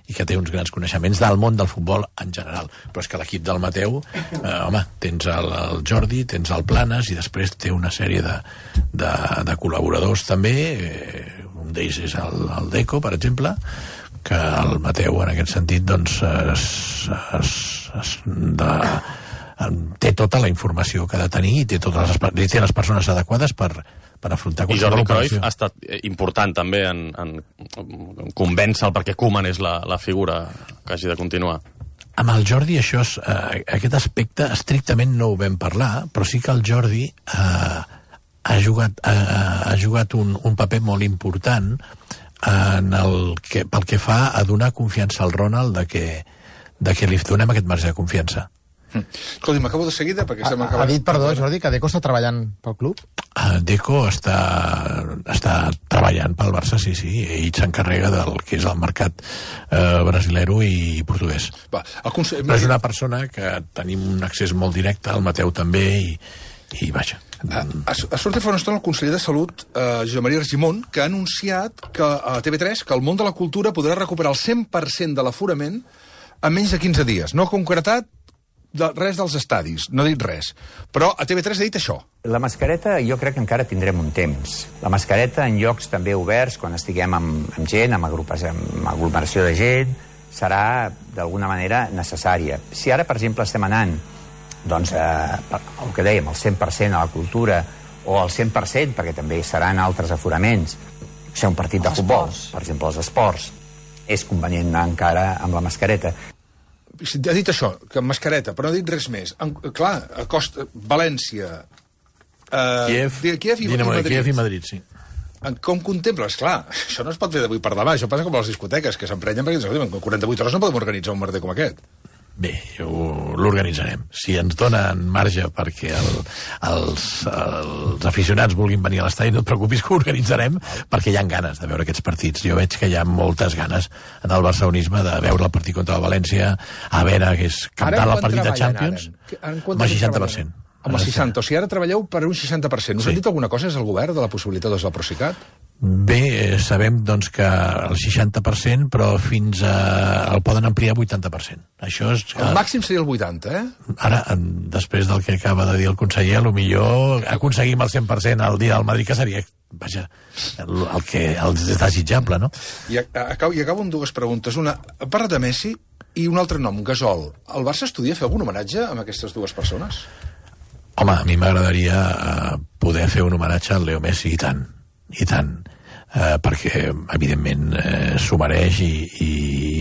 i que té uns grans coneixements del món del futbol en general. Però és que l'equip del Mateu, eh, home, tens el, el Jordi, tens el Planes, i després té una sèrie de, de, de col·laboradors també, eh, un d'ells és el, el Deco, per exemple, que el Mateu, en aquest sentit, doncs, es, es, es, de, té tota la informació que ha de tenir i té totes les, té les persones adequades per, per afrontar qualsevol operació. I Jordi operació. Cruyff ha estat important també en, en, en convèncer-el perquè Koeman és la, la figura que hagi de continuar. Amb el Jordi això és, eh, aquest aspecte estrictament no ho vam parlar, però sí que el Jordi eh, ha jugat, eh, ha jugat un, un paper molt important en el que, pel que fa a donar confiança al Ronald de que, de que li donem aquest marge de confiança. Escolti, m'acabo de seguida perquè estem ha, acabant. Ha dit, perdó, Jordi, que Deco està treballant pel club? Uh, Deco està, està treballant pel Barça, sí, sí. Ell s'encarrega del que és el mercat uh, brasilero i portuguès. Va, el consell... Però és una persona que tenim un accés molt directe, el Mateu també, i, i vaja. Ha, ha sortit fa una estona el conseller de Salut, eh, Josep Maria Argimon, que ha anunciat que a T V tres que el món de la cultura podrà recuperar el cent per cent de l'aforament en menys de quinze dies. No ha concretat de res dels estadis, no ha dit res. Però a T V tres ha dit això. La mascareta jo crec que encara tindrem un temps. La mascareta en llocs també oberts, quan estiguem amb, amb gent, amb, agrupes, amb aglomeració de gent, serà d'alguna manera necessària. Si ara, per exemple, estem anant doncs, eh, el que dèiem, el cent per cent a la cultura, o el cent per cent, perquè també seran altres aforaments, ser un partit de futbol, per exemple, els esports, és convenient anar encara amb la mascareta. Ha dit això, que mascareta, però no ha dit res més. En, clar, a Costa, València, eh, Kiev, Kiev, i, Dinamo i de Madrid. Kiev i Madrid, sí. Com contemples? Clar, això no es pot fer d'avui per demà. Això passa com a les discoteques, que s'emprenyen perquè en quaranta-vuit hores no podem organitzar un merder com aquest. Bé, l'organitzarem. Si ens donen marge perquè el, els, els aficionats vulguin venir a l'estadi, no et preocupis que ho organitzarem, perquè hi ha ganes de veure aquests partits. Jo veig que hi ha moltes ganes en el barcelonisme de veure el partit contra el València, a veure que és captar el partit de Champions, amb el seixanta per cent. Amb el seixanta, o sigui, ara treballeu per un seixanta per cent. Us han dit alguna cosa des del govern de la possibilitat de la Procicat? Bé, sabem doncs, que el seixanta per cent, però fins a... el poden ampliar a vuitanta per cent. Això és... El màxim seria el vuitanta, eh? Ara, després del que acaba de dir el conseller, potser aconseguim el cent per cent al dia del Madrid, que seria, vaja, el, el que el desitjable, no? I acabo, i acabo amb dues preguntes. Una, parla de Messi i un altre nom, Gasol. El Barça estudia fer algun homenatge a aquestes dues persones? Home, a mi m'agradaria uh, poder fer un homenatge al Leo Messi, i tant, i tant, uh, perquè, evidentment, uh, s'ho mereix i, i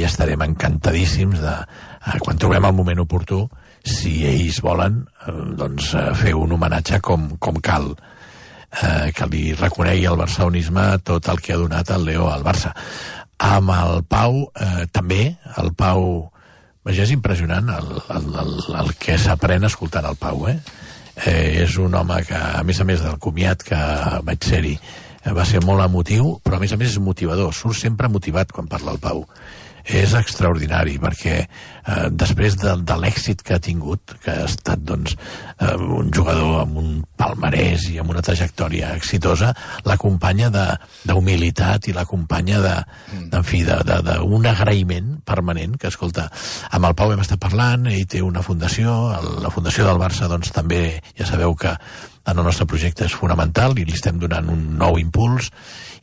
estarem encantadíssims de, uh, quan trobem el moment oportú, si ells volen, uh, doncs, uh, fer un homenatge com, com cal, uh, que li reconegui al barcelonisme tot el que ha donat el Leo al Barça. Amb el Pau, uh, també, el Pau... Vaja, és impressionant el, el, el, el que s'aprèn escoltant el Pau, eh? Eh, és un home que, a més a més del comiat que vaig ser-hi, va ser molt emotiu, però a més a més és motivador, surt sempre motivat quan parla el Pau. És extraordinari, perquè eh, després de, de l'èxit que ha tingut, que ha estat doncs, eh, un jugador amb un palmarès i amb una trajectòria exitosa, l'acompanya d'humilitat i l'acompanya de, de, en fi, d'un agraïment permanent, que, escolta, amb el Pau hem estat parlant, ell té una fundació, la fundació del Barça, doncs també, ja sabeu que en el nostre projecte és fonamental i li estem donant un nou impuls,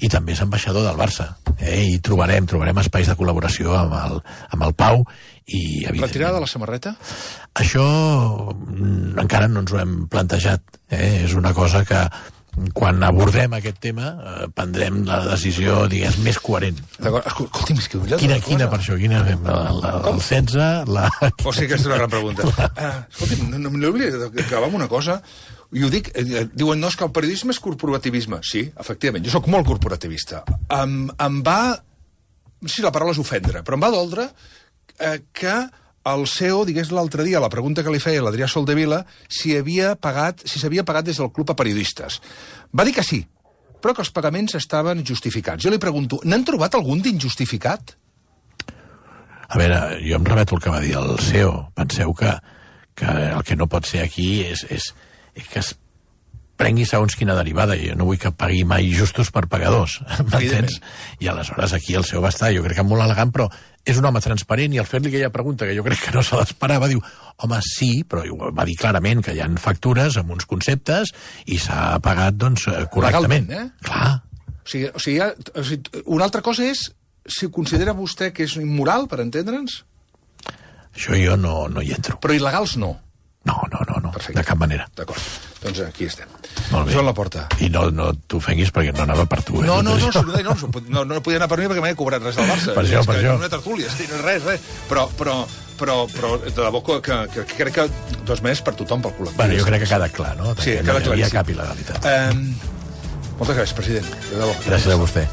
i també és ambaixador del Barça, eh? I trobarem, trobarem espais de col·laboració amb el, amb el Pau. I, retirada de la samarreta? Això mm, encara no ens ho hem plantejat, eh? És una cosa que quan abordem aquest tema eh, prendrem la decisió, digues, més coherent. Escolti'm, és que... Quina, quina per això? Quina fem? El, el setze? La... O sigui que és una gran pregunta. Uh, escolti'm, no, no m'oblida d'acabar amb una cosa. I ho dic, eh, diuen, no, és que el periodisme és corporativisme. Sí, efectivament, jo sóc molt corporativista. Em, em va... No sé si la paraula és ofendre, però em va doldre eh, que el C E O digués l'altre dia, la pregunta que li feia l'Adrià Soldevila, si havia pagat, si s'havia pagat des del Club a periodistes. Va dir que sí, però que els pagaments estaven justificats. Jo li pregunto, n'han trobat algun d'injustificat? A veure, jo em remeto el que va dir el C E O. Penseu que, que el que no pot ser aquí és... és que es prengui segons quina derivada. Jo no vull que pagui mai justos per pagadors, m'entens? I aleshores aquí el C E O va estar, jo crec que molt elegant, però és un home transparent, i al fer-li aquella pregunta que jo crec que no se l'esperava, diu, home, sí, però va dir clarament que hi ha factures amb uns conceptes i s'ha pagat, doncs, correctament. Legalment, eh? Clar. O sigui, o sigui, ha, o sigui, una altra cosa és si considera vostè que és immoral, per entendre'ns? Això jo no, no hi entro. Però il·legals no. No, no, no, no. Perfecte. De cap manera. D'acord, doncs aquí estem. Molt bé. Joan Laporta. I no, no t'ofenguis perquè no anava per tu. Eh? No, no, no, no, no, no, no podia anar per mi perquè m'he cobrat res del Barça. Per això, per això. Una tertúlia, res, res. Però, però, però, però de debò que, que, que crec que, de totes maneres, per tothom, pel col·lectiu. Bueno, jo crec que ha quedat clar, no? Sí, que queda no hi havia claríssim. cap il·legalitat. Um, moltes gràcies, president. De debò. Gràcies a vostè.